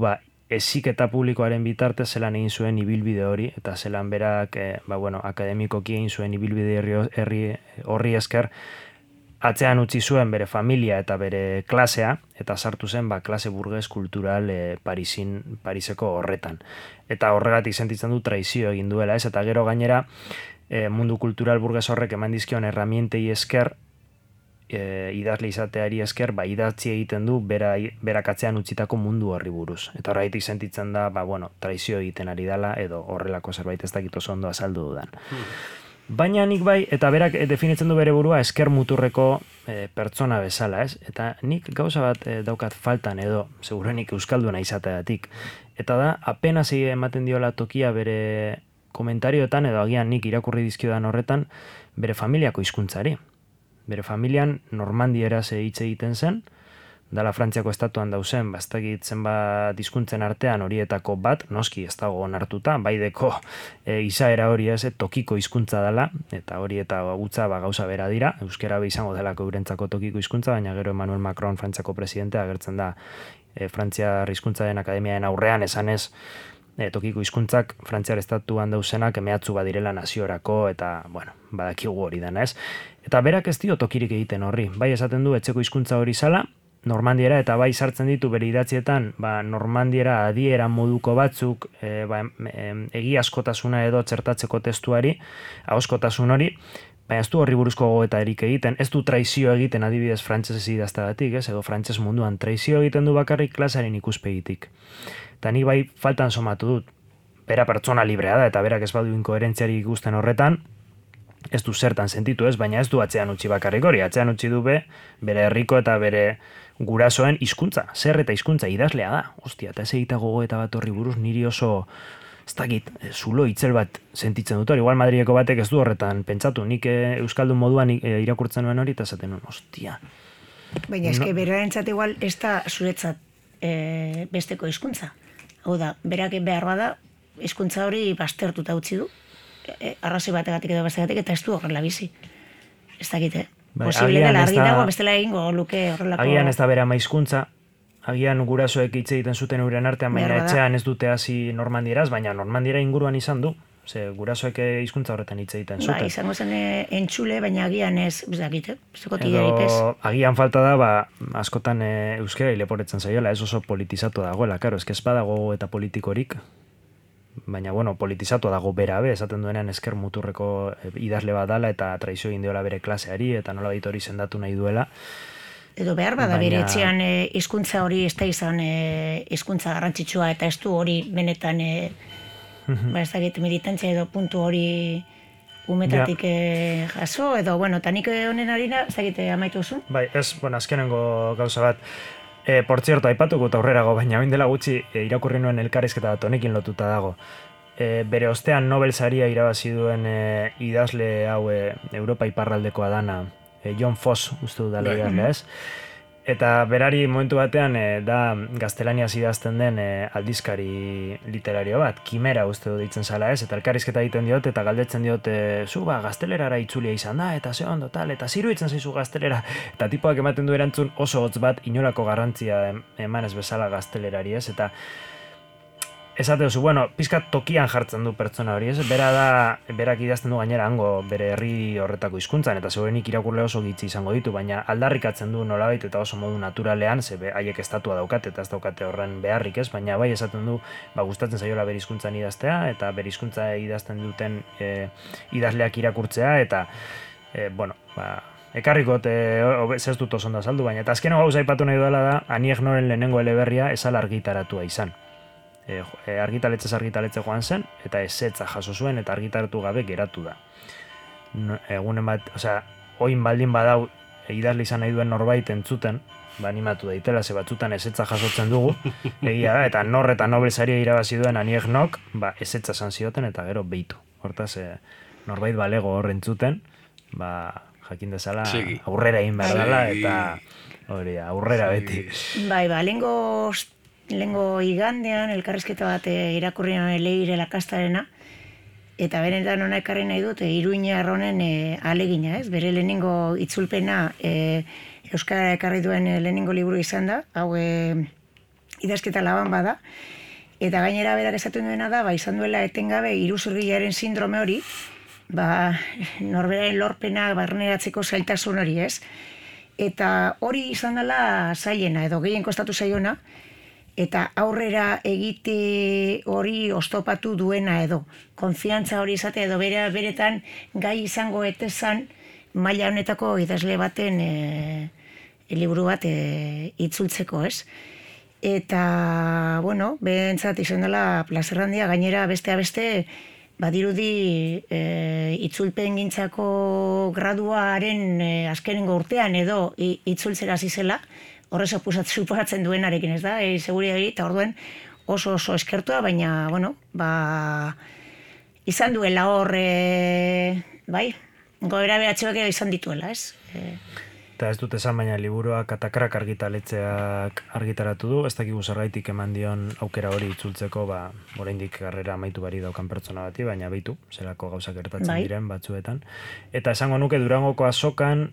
heziketa publikoaren bitartez zelan egin zuen ibilbide hori, eta zelan berak, akademikoki egin zuen ibilbide horri esker, atzean utzi zuen bere familia eta bere klasea, eta sartu zen klase burges kultural Pariseko horretan. Eta horregatik sentitzen du traizio egin duela, ez? Eta gero gainera mundu kultural burges horrek eman dizkion erramientei esker, idazle izateari esker, idatzi egiten du berak atzean utzitako mundu horri buruz. Eta horregatik sentitzen da, traizio egiten ari dela, edo horrelako zerbait ez dakit oso ondo azaldu dudan. Baina nik bai, eta berak definitzen du bere burua esker muturreko pertsona bezala, ez? Eta nik gauza bat daukat faltan edo, segurenik euskalduna izateatik. Eta da, apenas ematen diola tokia bere komentarioetan, edo agian nik irakurri dizkiodan horretan, bere familiako hizkuntzari. Bere familian normandieraz hitz egiten zen, dala Frantziako estatuan dauzen, bastakit zenbat hizkuntzen artean horietako bat, noski ez dago onartuta, baideko izaera hori ez, tokiko hizkuntza dela, eta hori eta gutza gauza bera dira, euskera izango delako eurentzako tokiko hizkuntza, baina gero Emmanuel Macron Frantziako presidentea agertzen da Frantziar hizkuntzaren akademiaren aurrean esanez, tokiko hizkuntzak Frantziar estatuan dauzenak mehatzu badirela naziorako, eta, bueno, badakigu hori dena ez. Eta berak ez dio tokirik egiten horri, bai esaten du etxeko hizkuntza hori zala, normandiera, eta bai sartzen ditu bere idatzietan, normandiera adiera moduko batzuk, egiazkotasuna edo txertatzeko testuari, ahoskotasun hori, baina ez du horri buruzko gogoetarik egiten, ez du traizio egiten adibidez frantsesez idazteagatik, ez, edo frantses munduan traizio egiten du bakarrik klasearen ikuspegitik. Eta ni bai faltan somatu dut, bera pertsona librea da, eta berak ez badu inkoherentziari ikusten horretan, ez du zertan sentitu ez, baina ez du atzean utzi bakarrik hori, atzean utzi du bere herriko eta bere gurasoen hizkuntza, zer eta hizkuntza idazlea da. Ostia, eta ez egita gogoeta bat horri buruz niri oso, ez dakit, zulo itzel bat sentitzen dut hori. Igual Madrileko batek ez du horretan pentsatu, nik euskaldun moduan irakurtzen nuen hori, eta zaten nuen, ostia. Baina eske berarentzat igual ez da zuretzat besteko hizkuntza. Hau da, berak behar bada hizkuntza hori baztertuta utzi du, arrazoi bategatik edo bestegatik, eta ez du horrela bizi. Ez dakite. Posible dela, argi dago bestela egingo luke horrelako. Agian ez da bere ama hizkuntza, agian gurasoek hitz egiten zuten euren artean, baina etxean ez dute hasi normandieraz, baina normandiera inguruan izan du. Ze gurasoek hizkuntza horretan hitz egiten zuten. Ba, izango zen entzule, baina agian ez dakite. Edo agian falta da, askotan euskera leporetzen zaiola, ez oso politizatu dagoela, karo, ez badago eta politikorik. Baina, bueno, politizatu dago bera esaten duenean esker muturreko idazle bat dala eta traizio egin diola bere klaseari eta nola baita hori sendatu nahi duela. Edo behar bada bere etxean hizkuntza hori ez da izan hizkuntza garrantzitsua eta ez du hori benetan ez dakit militantzia edo puntu hori umetatik jaso edo, bueno, eta nik honen harina ez dakit amaitu zuen? Bai, ez, bueno, azkenengo gauza bat. Por cierto, aipatuko eta aurrerago, baina oin dela gutxi irakurri nuen elkarrizketa bat honekin lotuta dago. Bere ostean Nobel saria irabazi duen idazle hau Europa iparraldekoa dana, John Foss, uste du dala idazlea ez. Eta berari momentu batean da gaztelaniaz idazten den aldizkari literario bat, Kimera uste du ditzen zala ez, eta elkarrizketa egiten diot, eta galdetzen diot, zu gaztelerara itzulia izan da, eta ze ondo tal, eta ziruitzen zaizu gaztelera, eta tipoak ematen du erantzun oso hotz bat, inolako garrantzia emanez bezala gaztelerari ez, eta esate duzu, bueno, pizkat tokian jartzen du pertsona hori, ez? Berak idazten du gainera hango bere herri horretako hizkuntzan eta segurenik irakurle oso gitzi izango ditu, baina aldarrikatzen du nolabait eta oso modu naturalean, ze haiek estatua daukate eta ez daukate horren beharrik, ez? Baina bai esaten du, gustatzen zaiola bere hizkuntzan idaztea eta bere hizkuntza idazten duten idazleak irakurtzea eta bueno, ekarriko ez dut oso ondo azaldu, baina eta azkeno gauza aipatu nahi duela da, Aniek Noren lehenengo eleberria esala argitaratua izan. Argitaletxe joan zen eta ezetza jaso zuen eta argitaratu gabe geratu da. Egunen bat, oin baldin badau idazle izan nahi duen norbait entzuten, animatu daitela, ze batzutan ezetza jasotzen dugu, egia da, eta Nor eta Nobel saria irabazi duen Aniek Nok, ezetza esan zioten eta gero beitu. Hortaz, norbait balego hor entzuten, jakin dezala aurrera egin behar dela eta hori, aurrera beti. Bai, lehengo igandean elkarrizketa bat irakurri nuen Leire Lakastarena eta benetan hona ekarri nahi dut Iruinar honen alegina, ez? Bere lehenengo itzulpena euskara ekarri duen lehenengo liburu izan da, hau idazketa laban bada eta gainera berak esaten duena da, izan duela etengabe iruzurgilaren sindrome hori, norberaren lorpena barneratzeko zailtasun hori, ez? Eta hori izan dela zailena edo gehien kostatu zaiona, eta aurrera egite hori oztopatu duena edo, konfiantza hori izate edo beretan gai izango etezan maila honetako idazle baten liburu bat itzultzeko, ez? Eta, bueno, behentzat izan dela plazer handia, gainera beste badirudi itzulpen gintzako graduaren azkenengo urtean edo itzultzera zizela, horrez suposatzen duenarekin, ez da, seguridari, eta orduen oso eskertua, baina, bueno, izan duela hor, bai, goera beratxoak izan dituela, ez? Eta ez dut esan, baina liburua Katakrak argitaletxeak argitaratu du, ez dakigu zergaitik eman dion aukera hori itzultzeko, oraindik karrera amaitu bari daukan pertsona bati, baina beitu, zelako gauzak gertatzen diren batzuetan. Eta esango nuke Durangoko azokan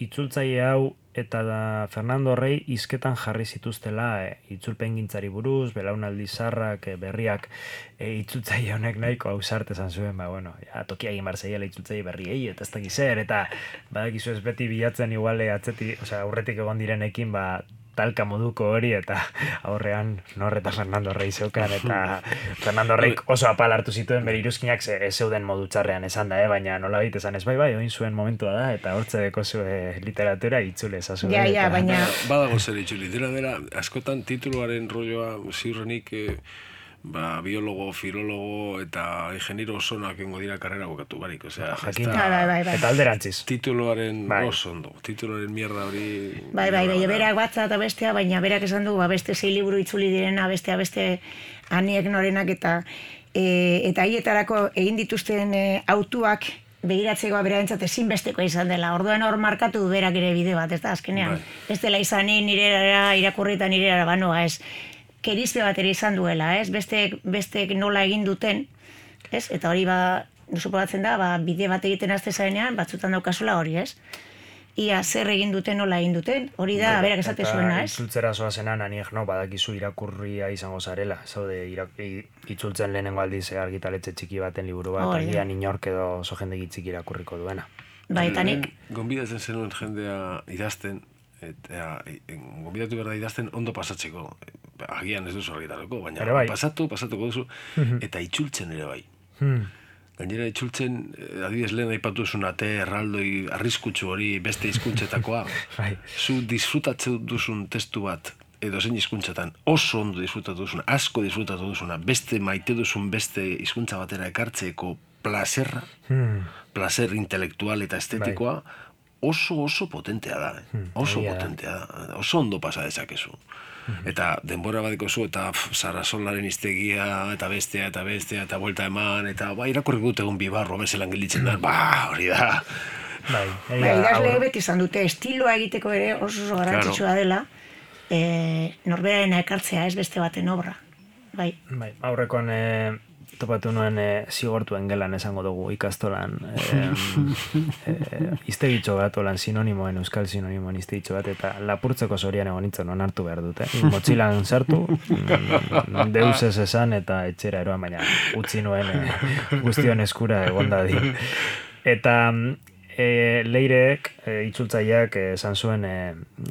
itzultzaile hau eta Fernando Rey hizketan jarri zituztela itzulpengintzari buruz, belaunaldi zarrak, berriak itzultzaile honek nahiko ausart esan zuen, tokia egin bar zeiela itzultzaile berriei, eta ez dakiz zer, eta badakizu ez beti bilatzen iguale aurretik egon direnekin, talka moduko hori, eta aurrean Nor eta Fernando Rey zeukan, eta Fernando Rey oso apal hartu zituen bere iruzkinak zeuden modu txarrean esan da, baina nola bait esan ez oin zuen momentua da, eta hortze deko zue literatura itzule ezazu. Ja, baina... Badago zer itzuli, dira, askotan tituluaren rolloa ziurrenik biologo, filologo eta ingeniero osonak engo dira karrera bukatu barik, osea, eta alderantziz. Tituluaren oso ondo, tituluaren mierda hori... Bai, berak batza eta bestea, baina berak esan du, beste 6 liburu itzuli direna, beste Aniek Norenak eta haietarako egin dituzten autuak begiratzeko berarentzat ezinbesteko izan dela. Orduan hor markatu berak ere bide bat, ez da, azkenean. Ez dela izanin nirera irakurri eta nirera banoa, ez. Kerizpe bat ere izan duela, ez? Bestek nola egin duten, ez? Eta hori suposatzen da, bide bat egiten azte zarenean, batzutan daukazula hori, ez? Ia zer egin duten, nola egin duten, hori da, berak esate zuena, ez? Eta itzultzera zoazenan, Aniek badakizu irakurria izango zarela, zaude itzultzen lehenengo aldiz argitaletxe txiki baten liburu bat, agian inork edo oso jendegi txiki irakurriko duena. Bai, eta nik... Gonbidatzen zenuen jendea idazten, eta gonbidatu behar da idazten ondo pasatzeko, agian ez duzu argitarako, baina pasatuko duzu, eta itzultzen ere bai. Gainera itzultzen, adibidez lehen aipatu duzun ate erraldoi arriskutsu hori beste hizkuntzetakoa, zu disfrutatzen duzun testu bat, edo zein hizkuntzatan oso ondo disfrutatu duzuna, asko disfrutatu duzuna, beste maite duzun beste hizkuntza batera ekartzeko plazerra, plazer intelektual eta estetikoa, oso potentea da, potentea da, oso ondo pasa dezakezu. Eta denbora badiko zu, eta Sarrasolaren hiztegia, eta bestea, eta buelta eman, eta irakurri dut egun bibarro, bezelan gelditzen da, hori da. Idazle beti izan dute, estiloa egiteko ere oso garrantzitsua dela, norberaren ekartzea ez beste baten obra. Aurrekoan topatu nuen zigortuen gelan esango dugu ikastolan iztegitxo bat, olan sinonimoen, euskal sinonimoen iztegitxo bat, eta lapurtzeko zorian egon nintzen onartu behar dute. Motxilan sartu, deus ez esan, eta etxera eroan, baina utzi nuen guztion eskura egonda di. Eta Leireek, itzultzaileak esan zuen,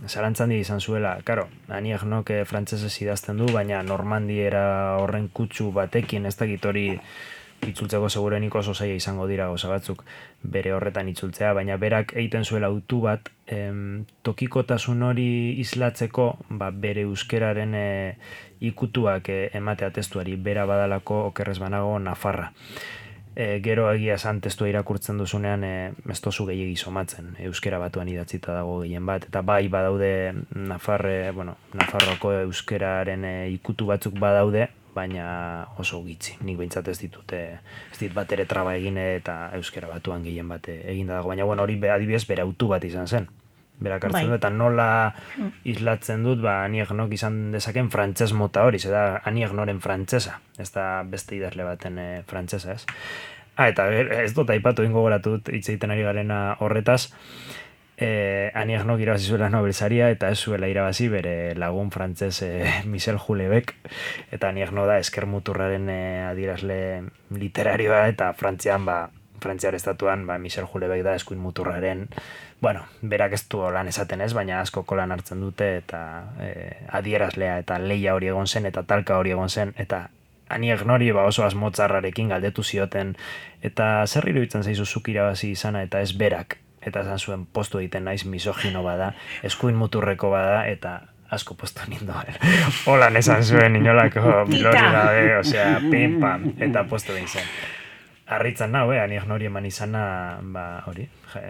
zalantzandi izan zuela, karo, Aniek Nok frantsesez idazten du, baina normandiera horren kutsu batekin, ez dakit hori itzultzeko segurenik oso zaila izango dira gauza batzuk bere horretan itzultzea, baina berak egiten zuela autu bat, tokikotasun hori islatzeko, bere euskeraren ikutuak ematea testuari, bera badalako okerrez banago Nafarra. Gero egia esan testua irakurtzen duzunean ez tozu gehiegi somatzen, euskera batuan idatzita dago gehien bat, eta badaude Nafarroko euskeraren ikutu batzuk badaude, baina oso gitzi, nik behintzat ez dit bat ere traba egin eta euskera batuan gehien bat eginda dago, baina hori adibidez bere autu bat izan zen. Berak hartzen du, eta nola islatzen dut, Aniek Nok izan dezaken frantses mota hori, da Aniek Noren frantsesa, ez da beste idazle baten frantsesa, ez? Eta ez dut aipatu ingo goratu dut hitz egiten ari garena horretaz, Aniek Nok irabazi zuela Nobel saria, eta ez zuela irabazi bere lagun frantses Michel Houellebecq, eta Aniek Nok da eskermuturraren adierazle literarioa, eta Frantziar estatuan, Michel Houellebecq da eskuin muturraren, berak ez du lan esaten ez, baina asko kolan hartzen dute, eta adierazlea eta leia hori egon zen, eta talka hori egon zen, eta Aniek Nori oso asmotzarrarekin galdetu zioten, eta zer iruditzen zaizu zuk irabazi izana, eta ez berak, eta esan zuen postu egiten naiz misogino bada, eskuin muturreko bada, eta asko posto nindoan. Holan esan zuen inolako bilori gabe, osea, pim, pam, eta posto behin zen. Arritzen nahu, anik nori eman izana, hori,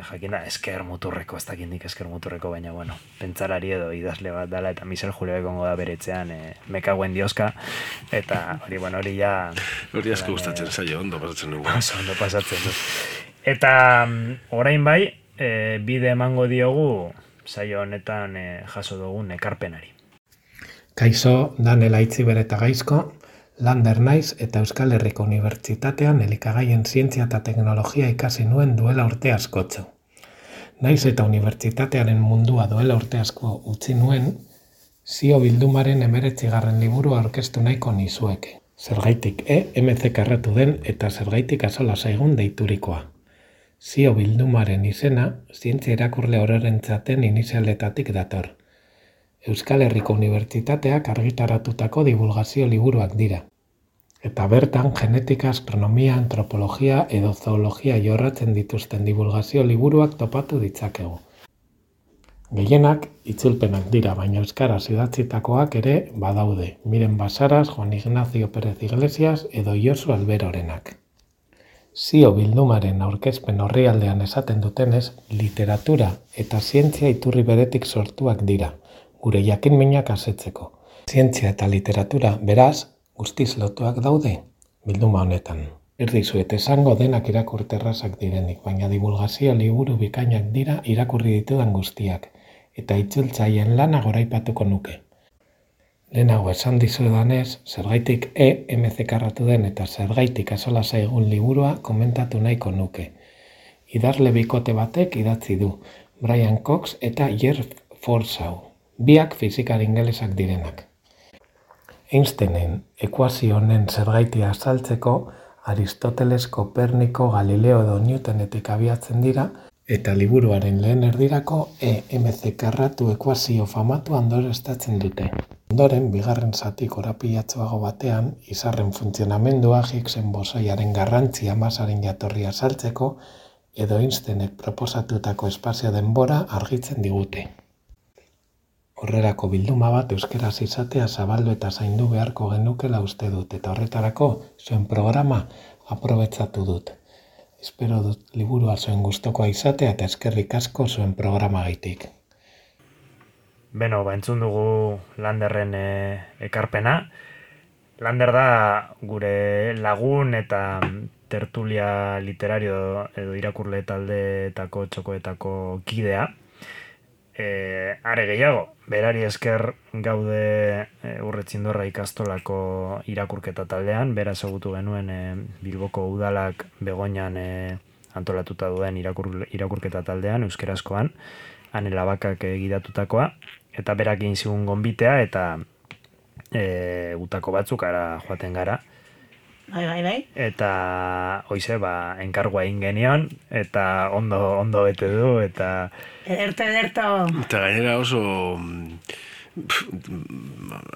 jakin da, esker muturreko, ez dakindik esker muturreko, baina, bueno, pentsarari edo idazle bat dala, eta Michel Julio egongo da beretzean, mekaguen dioska, eta hori, bueno, hori ja... Hori asko gustatzen zaio, ondo pasatzen dugu. Ondo pasatzen du. Eta, orain bai, bide emango diogu, saio honetan jaso dugun ekarpenari. Kaixo, Danel Aitziber eta Gaizko, Lander naiz eta Euskal Herriko Unibertsitatean elikagaien zientzia eta teknologia ikasi nuen duela urte askotxo. Naiz eta unibertsitatearen mundua duela urte asko utzi nuen, zio bildumaren 19. liburu aurkeztu nahiko nizueke. Zergaitik MCK erratu den eta zergaitik azola zaigun deiturikoa. Zio bildumaren izena, zientzia irakurle ororentzaten inizialetatik dator. Euskal Herriko Unibertsitateak argitaratutako divulgazio liburuak dira. Eta bertan genetika, astronomia, antropologia edo zoologia jorratzen dituzten divulgazio liburuak topatu ditzakegu. Gehienak itzulpenak dira, baina euskaraz idatzitakoak ere badaude. Miren Basaras, Juan Ignacio Pérez Iglesias edo Josu Alberorenak. Zio bildumaren aurkezpen orrialdean esaten dutenez, literatura eta zientzia iturri beretik sortuak dira, gure jakinminak asetzeko. Zientzia eta literatura, beraz, guztiz lotuak daude, bilduma honetan. Erdizuet esango denak irakurterrazak direnik, baina divulgazio liburu bikainak dira irakurri ditudan guztiak, eta itzultzaien lana goraipatuko nuke. Lehenago esan dizudanez, zergaitik MCK erratu den eta zergaitik azola zaigun liburua komentatu nahiko nuke. Idazle bikote batek idatzi du, Brian Cox eta Jer Forshaw, biak fizikari ingelesak direnak. Einsteinen ekuazio honen zergaitia azaltzeko, Aristoteles, Koperniko, Galileo edo Newtonetik abiatzen dira, eta liburuaren lehen erdirako MCK erratu ekuazio famatu ondoreztatzen dute. Ondoren, bigarren zati korapilatsuago batean, izarren funtzionamendua, Higgsen bosoiaren garrantzia masaren jatorria azaltzeko, edo Einsteinek proposatutako espazio denbora argitzen digute. Horrerako bilduma bat euskeraz izatea zabaldu eta zaindu beharko genukela uste dut, eta horretarako zuen programa aprobetxatu dut. Espero dut liburua zuen gustokoa izatea eta eskerrik asko zuen programa gaitik. Beno, entzun dugu Landerren ekarpena. Lander da gure lagun eta tertulia literario edo irakurle taldeetako txokoetako kidea. Are gehiago, berari esker gaude Urretzindorra ikastolako irakurketa taldean, bera ezagutu genuen Bilboko udalak Begoñan antolatuta duen irakurketa taldean, euskerazkoan, Anela Bakak gidatutakoa, eta berak egin zigun gonbitea, eta gutako batzuk ara joaten gara. Bai. Eta hoize, enkargua egin genion, eta ondo bete du, eta... Ederto. Eta gainera oso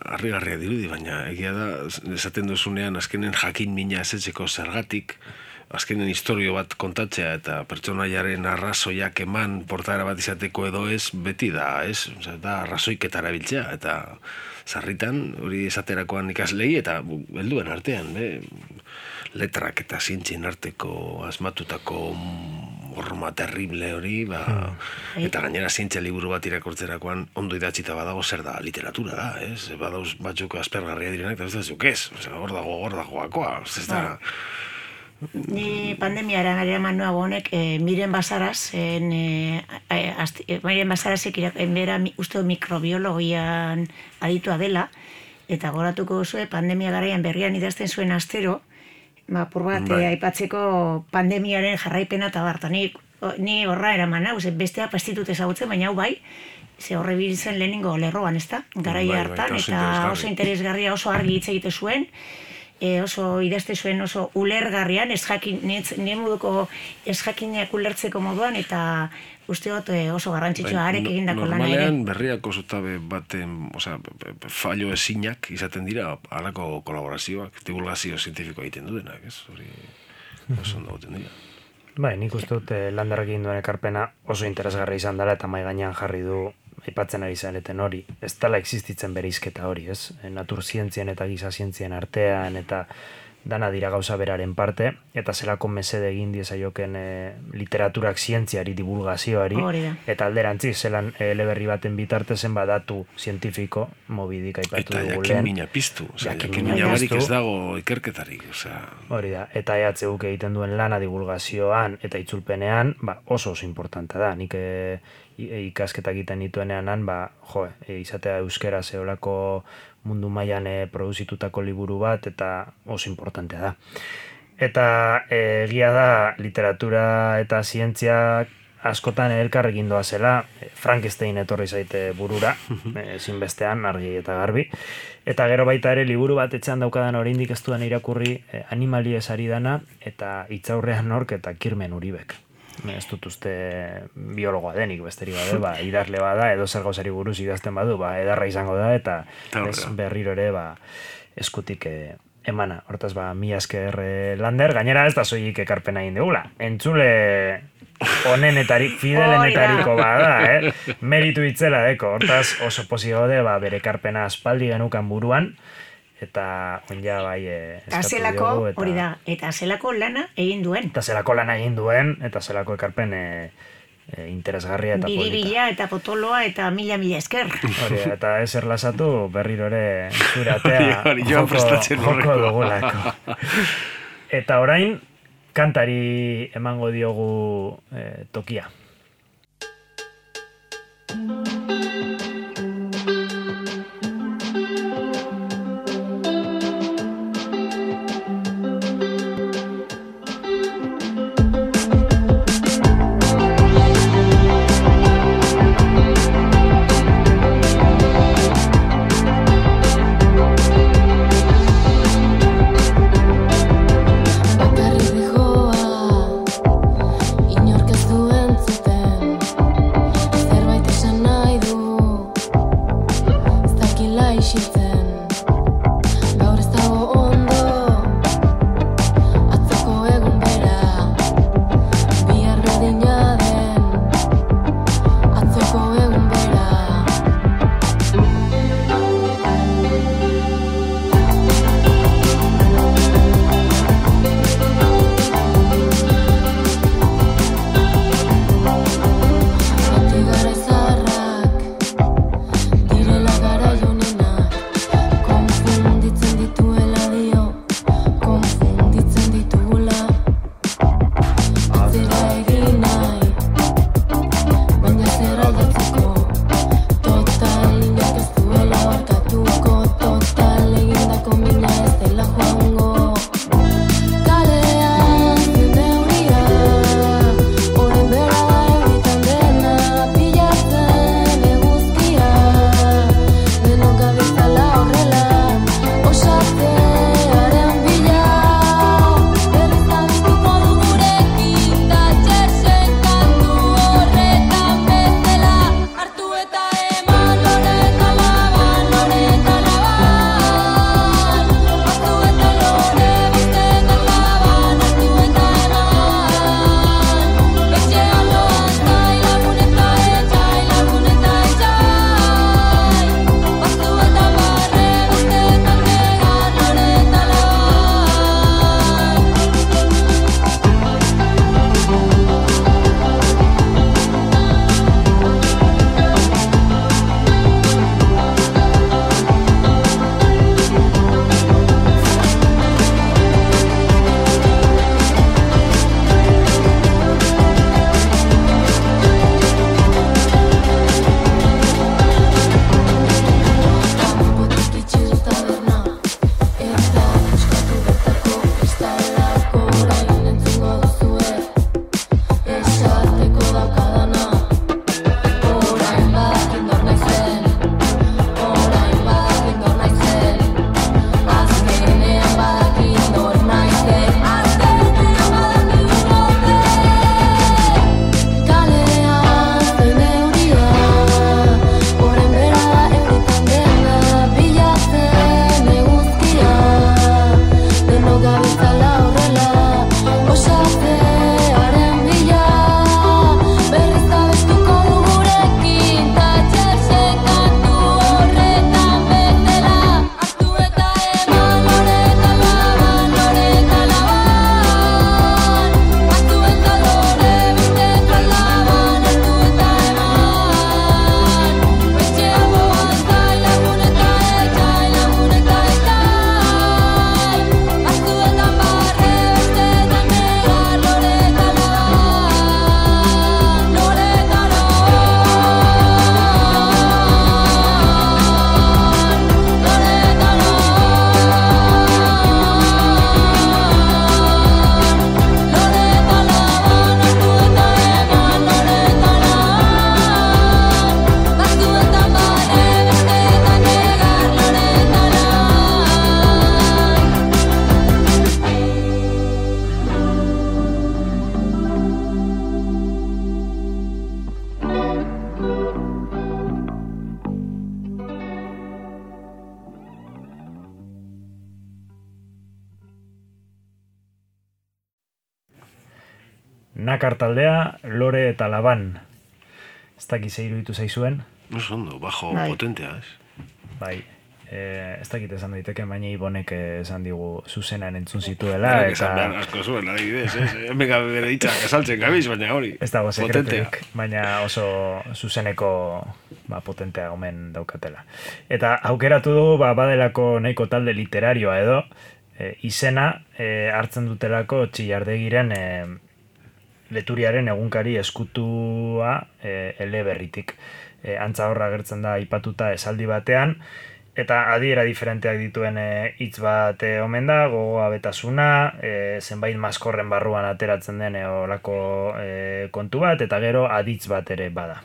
harrigarria dirudi, baina egia da, esaten duzunean azkenen jakin mina esetzeko zergatik, azkenen historio bat kontatzea eta pertsonaiaren arrazoiak eman portaera bat izateko edo ez, beti da, ez? Osea, da arrazoiketara biltzea, eta sarritan hori esaterakoan ikaslei eta helduen artean, letrak eta zientzien arteko asmatutako horma terrible hori, eta gainera zientzia liburu bat irakurtzerakoan ondo idatzita badago zer da, literatura da, ez? Badauz batzuk aspergarria direnak, eta ez da zuk ez, hor dagoakoa, ez da... Ni pandemiara eraman nuago honek, Miren Basaras, Miren Basarasek bera uste mikrobiologian aditua dela, eta goratuko zuen pandemia garaian berrian idazten zuen astero, apur bat aipatzeko pandemiaren jarraipena eta barta. Ni horra eraman hau, bestea pastitut ezagutzen, baina hau bai, ze horre biltzen lehenengo lerroan, ez da? Garaia hartan, eta oso interesgarria, oso argi hitz egite zuen, oso idazte zuen oso ulergarrian, nire moduko ez jakineak ulertzeko moduan, eta usteot oso garrantzitsua arek egindako lana ere. Normalean berriako zutabe baten, fallo ezinak izaten dira halako kolaborazioak, divulgazio zientifikoa egiten duenak, ez? Hori oso ondo goten dira. Nik uste dut Landerrek egin duen ekarpena oso interesgarri izan dela eta mai gainean jarri du aipatzen ari zareten hori, ez dela existitzen bereizketa hori, ez? Naturzientzien eta gizazientzien artean, eta dana dira gauza beraren parte, eta zelako mesede egin diezaioken literaturak zientziari, divulgazioari, eta alderantzi, zelan eleberri baten bitartezen badatu zientifiko, mobidik aipatu dugu lehen. Eta jakin mina piztu, jakin mina barik ez dago ikerketarik. Hori da, eta EHUk egiten duen lana divulgazioan eta itzulpenean, oso importanta da, nik ikasketak egiten dituenean, izatea euskera zeolako mundu mailan produzitutako liburu bat, eta oso importantea da. Eta egia da, literatura eta zientziak askotan elkarrekin doa zela, Frankenstein etorri zaite burura, ezinbestean, argi eta garbi. Eta gero baita ere, liburu bat etxean daukadan oraindik ez dudan irakurri Animaliez ari dana, eta Hitzaurrean nork eta Kirmen Uribek. Ez dut uste biologoa denik besterik bade, idazle bada, edo zer gauzari buruz idazten badu, edarra izango da, eta berriro ere eskutik emana. Hortaz, mila esker Lander, gainera ez da soilik ekarpena egin dugula. Entzule fidelenetariko bada, meritu itzela deko. Hortaz, oso pozio gaude, bere ekarpena aspaldi genukan buruan, eta onja eskatu dugu. Hori da, eta zelako lana egin duen. Eta zelako lana egin duen, eta zelako ekarpen interesgarria eta polita. Biribila eta potoloa eta mila esker. Hori, eta ez erlasatu berriro ere zure atea joko dugulako. Eta orain, kantari emango diogu tokia. Inork ez du entzuten Nakar taldea, Lore eta Laban. Ez dakiz iruditu zaizuen? Oso ondo, bajo potentea, ez? Bai, ez dakit esan daiteke, baina Ibonek esan digu zuzenan entzun zituela. Eta esan behar asko zuen, adibidez, ez? Hemen bere hitzak esaltzen gabiz, baina hori. Ez dago sekreturik, baina oso zuzeneko potentea omen daukatela. Eta aukeratu dugu, badelako nahiko talde literarioa edo, izena hartzen dutelako Txillardegiren Leturiaren egunkari eskutua eleberritik. Antza horra agertzen da aipatuta esaldi batean, eta adiera diferenteak dituen hitz bat omen da, gogoa betasuna, zenbait maskorren barruan ateratzen den olako kontu bat, eta gero aditz bat ere bada.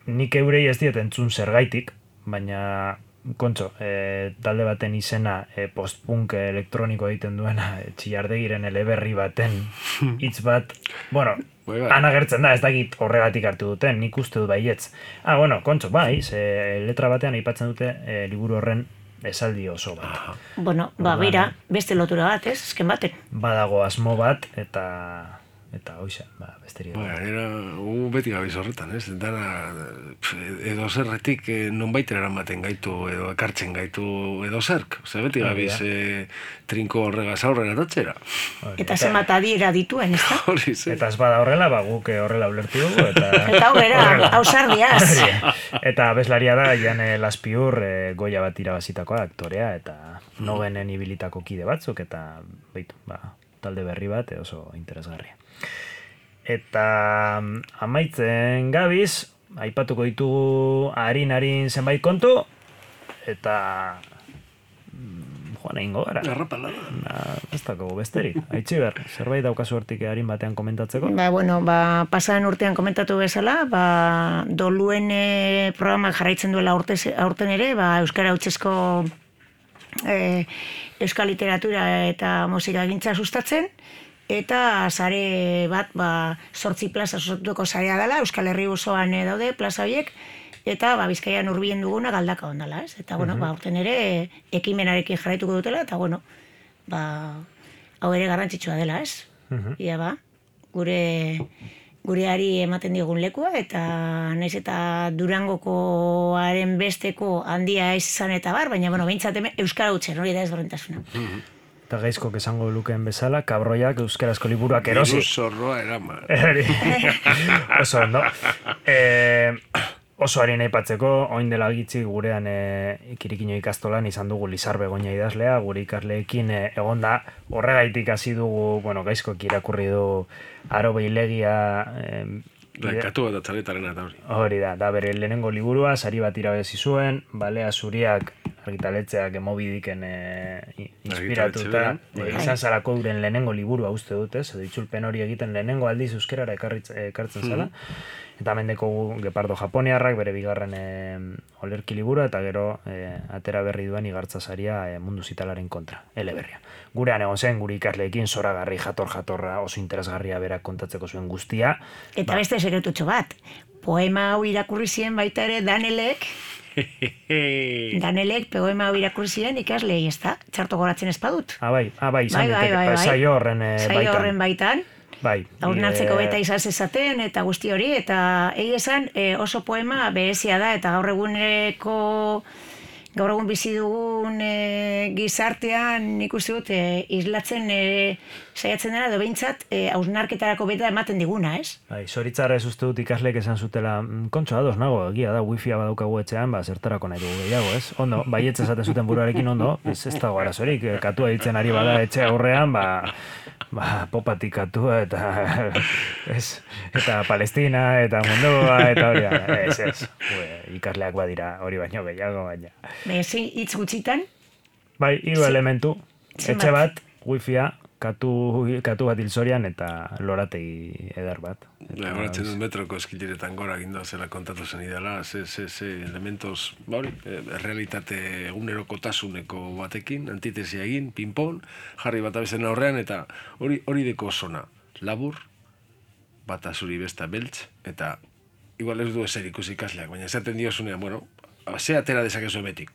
Nik eurei ez diet entzun zergaitik, baina kontxo, talde baten izena post-punk elektroniko egiten duena Txillardegiren eleberri baten hitz bat, bueno, han agertzen da, ez dakit horregatik hartu duten, nik uste dut baietz. Bueno, kontxo, bai, letra batean aipatzen dute liburu horren esaldi oso bat. Bueno, bera, beste lotura bat, ez, esken baten. Badago asmo bat, eta hoxe, besterik. Era, beti gabiz horretan, ez? Dara, edo zerretik nonbait eramaten gaitu, edo ekartzen gaitu edo zerk. Beti gabiz trinko horregaz aurrera tatxera. Eta zenbat adiera dituen, ez da? Eta ez bada horrela, guk horrela ulertu dugu. Eta hau ausardiaz. Eta abeslaria da, Jane Laspiur Goya bat irabazitakoa aktorea, eta nogenen ibilitako kide batzuk, eta talde berri bat oso interesgarria. Eta amaitzen gabiz, aipatuko ditugu harin zenbait kontu, eta joan egingo gara. Garrapalada. Ez dago besterik. Aitziber, zerbait daukazu hortik harin batean komentatzeko? Pasaren urtean komentatu bezala, doluen programak jarraitzen duela aurten ere, Euskara Hautsezko euskal literatura eta musika gintza sustatzen, eta sare bat 8 plaza sortuko sarea dela, Euskal Herri osoan daude plaza horiek, eta Bizkaian hurbilen duguna Galdaka ondala, ez? Eta, aurten ere ekimenarekin jarraituko dutela, eta, hau ere garrantzitsua dela, ez? Ia gureari ematen diogun lekua, eta naiz eta Durangokoaren besteko handia ez izan eta baina, behintzat Euskara Hutsen, hori da ez horrentasuna. Eta gaizkok esango lukeen bezala, kabroiak euskarazko liburuak erosi. Diru zorroa eraman. Oso ondo. Oso harin aipatzeko, oin dela gitzi gurean Kirikino ikastolan izan dugu Lizar Begoña idazlea, gure ikasleekin egonda horregaitik hasi dugu, gaizkok irakurri du Aro Beilegia... Katu bat atzaletaren eta hori. Hori da bere lehenengo liburua, sari bat irabezi zuen, Balea Zuriak argitaletxeak Mobidiken inspiratuta, izan zarako duren lehenengo liburua uste dut, edo itzulpen hori egiten lehenengo aldiz euskerara ekartzen zala. Eta mendeko Gepardo Japoniarrak bere bigarren olerki liburua, eta gero atera berri duen igartza saria mundu zitalaren kontra, eleberria. Gurean egon zen, gure ikasleekin zoragarri jatorra oso interesgarria berak kontatzeko zuen guztia. Eta beste sekretutxo bat, poema hau irakurri zien baita ere Danelek poema hau irakurri zien ikaslei, ez da? Txarto goratzen ez badut. Bai, izan diteke, saio horren baitan. Haurnartzeko beta izan zezaten eta guzti hori, eta esan oso poema berezia da, eta gaur egun bizi dugun gizartean nik uste dut islatzen saiatzen dena, edo behintzat hausnarketarako beta ematen diguna, ez? Zoritzarra ez uste dut ikasleek esan zutela, kontxo ados nago, egia da, wifia badaukagu etxean, zertarako nahi dugu gehiago, ez? Ondo, baietz esaten zuten buruarekin ondo, ez dago arazorik, katua ditzen ari bada etxe aurrean, popatik katua, eta Palestina, eta mundua, eta hori, ez, ikasleak badira hori baino gehiago, baina. Hitz gutxitan? Bai, 3 elementu, etxe bat, wifia, katu bat hilzorian eta lorategi edar bat. Horatzen dut metroko eskileretan gora gindoa zela kontatu zen idala, ze elementos, realitate egunerokotasuneko batekin, antitesia egin, pinpon, jarri bat abezen aurrean, eta hori deko zona, labur, bata zuri besta beltz, eta igual ez du ezer ikusi ikasleak, baina esaten diozunean, ze atera dezakezu emetik.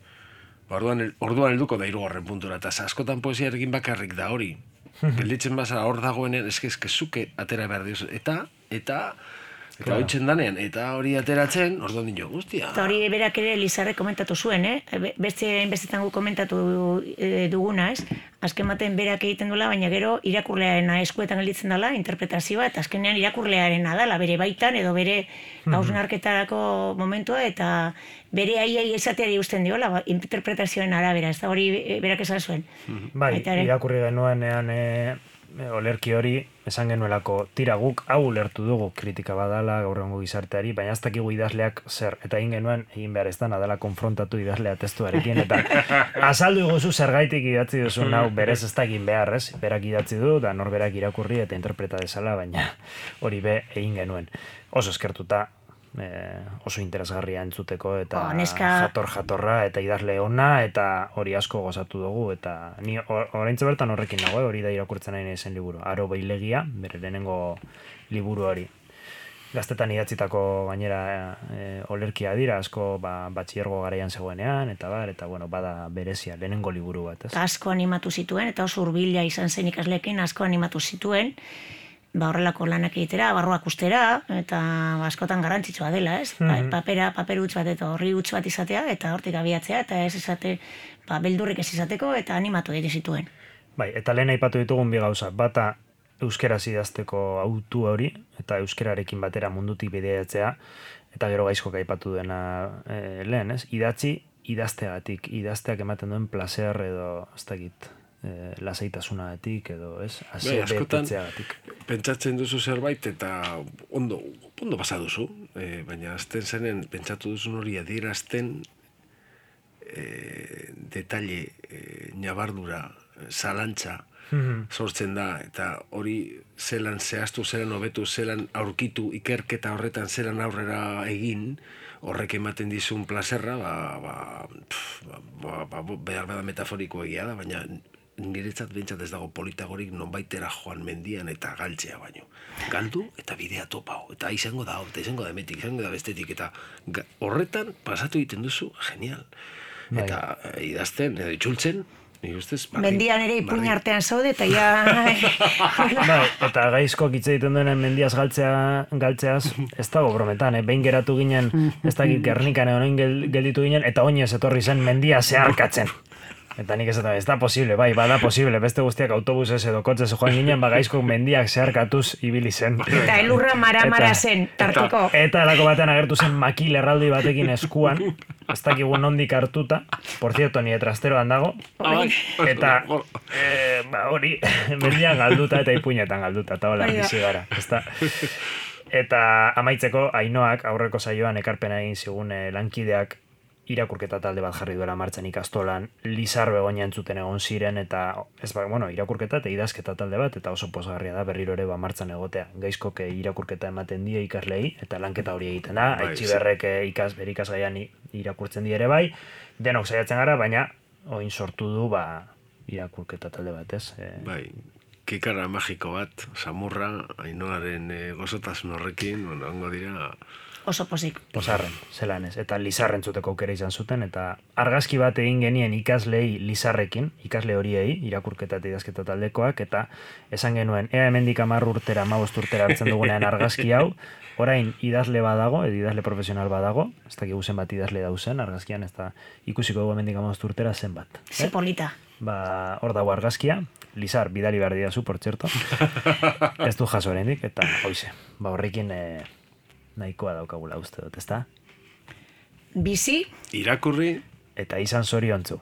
Orduan helduko da 3. puntura, eta askotan poesiarekin bakarrik da hori. gelditzen baza hor dagoenean, eske zuke atera behar diozu, eta hoitzen danean, eta hori ateratzen, orduan dino, guztia. Eta hori berak ere Lizarrek komentatu zuen, bestetan gu komentatu duguna, ez? Azken baten berak egiten duela, baina gero irakurlearen eskuetan gelditzen dela, interpretazioa, eta azkenean irakurlearen dela, bere baitan, edo bere hausnarketarako momentua, eta bere aiai esateari usten diola, interpretazioen arabera, ez da hori berak esan zuen. Bai, irakurri genuenean olerki hori, esan genuelako tira guk hau ulertu dugu kritika badala gaur egungo gizarteari, baina ez dakigu idazleak zer, eta egin genuen egin behar ez dana dela konfrontatu idazlea testuarekin, eta azaldu iguzu zergaitik idatzi duzun hau berez ez da egin behar, ez? Berak idatzi du, da norberak irakurri eta interpreta dezala, baina hori be egin genuen. Oso eskertuta, oso interesgarria entzuteko eta jatorra eta idazle ona eta hori asko gozatu dugu eta ni oraintxe bertan horrekin nago, hori da irakurtzen nahi zen liburu. Aro Beilegia, bere lehenengo liburu hori. Gaztetan idatzitako gainera olerkia dira, asko batxillergo garaian zegoenean eta bada berezia, lehenengo liburu bat, ez? Asko animatu zituen eta oso hurbila izan zen ikasleekin, asko animatu zituen. Horrelako lanak egitera, barruak ustera, eta askotan garrantzitsua dela, ez? Paper huts bat eta horri huts bat izatea, eta hortik abiatzea, eta ez izate, beldurrik ez izateko, eta animatu egite zituen. Bai, eta lehen aipatu ditugun bi gauza, bata euskeraz idazteko autu hori, eta euskerarekin batera mundutik bideatzea, eta gero gaizkok aipatu duena lehen, ez? Idazteagatik, idazteak ematen duen placer edo, ez dakit, lasaitasuna edo, ez? Askotan, pentsatzen duzu zerbait eta ondo pasa duzu, baina azten zenen pentsatu duzun hori adierazten detalle, nabardura, zalantza sortzen da, eta hori zelan zehaztu, zelan hobetu, zelan aurkitu, ikerketa horretan zelan aurrera egin, horrek ematen dizun plazerra, behar bada metaforiko egia da, baina niretzat bentsat ez dago politagorik nonbaitera joan mendian eta galtzea baino. Galdu eta bidea topau. Eta izango da emetik, izango da bestetik. Eta horretan pasatu egiten duzu, genial. Eta idazten, edo itxultzen, mendian ere ipuin artean zaude eta ja... eta gaizkok hitz egiten duenen mendiaz galtzeaz, ez dago brometan, behin geratu ginen, ez dakit Gernikan egon gelditu ginen, eta oinez etorri zen mendia zeharkatzen. Eta nik esaten, ez da posible, bada posible, beste guztiak autobusez edo kotzez joan ginen, gaizkok mendiak zeharkatuz ibili zen. Eta elurra mara zen, tarteko. Eta alako batean agertu zen makil erraldi batekin eskuan, ez dakigu nondik hartuta, por cierto, nire trasteroan dago, eta hori, mendian galduta eta ipuinetan galduta, eta hola bizi gara. Eta amaitzeko, Ainoak aurreko saioan ekarpena egin zigun lankideak irakurketa talde bat jarri duela martxan ikastolan, Lizar Begoña entzuten egon ziren, eta irakurketa eta idazketa talde bat, eta oso pozgarria da berriro ere martxan egotea. Gaizkoke irakurketa ematen die ikaslei, eta lanketa hori egiten da, Aitziberrek bere ikasgaian irakurtzen die ere bai, denok saiatzen gara, baina oin sortu du irakurketa talde bat, ez? Kikara magiko bat, samurra, Ainoaren gozotasun horrekin, ongo dira... Oso pozik. Pozarren, zelan ez. Eta Lizarren zuteko aukera izan zuten, eta argazki bat egin genien ikaslei Lizarrekin, ikasle horiei, irakurketa eta idazketa taldekoak, eta esan genuen, ea hemendik 10 urtera, 15 urtera hartzen dugunean argazki hau, orain idazle badago, edo idazle profesional badago, ez dakigu zenbat idazle dauzen argazkian, ez da ikusiko dugu hemendik 15 urtera zenbat. Ze polita. Hor dago argazkia, Lizar, bidali behar didazu, por txerto, ez du jaso oraindik, eta hoize, horrekin... nahikoa daukagula uste dut, ezta? Bizi. Irakurri. Eta izan zoriontzu.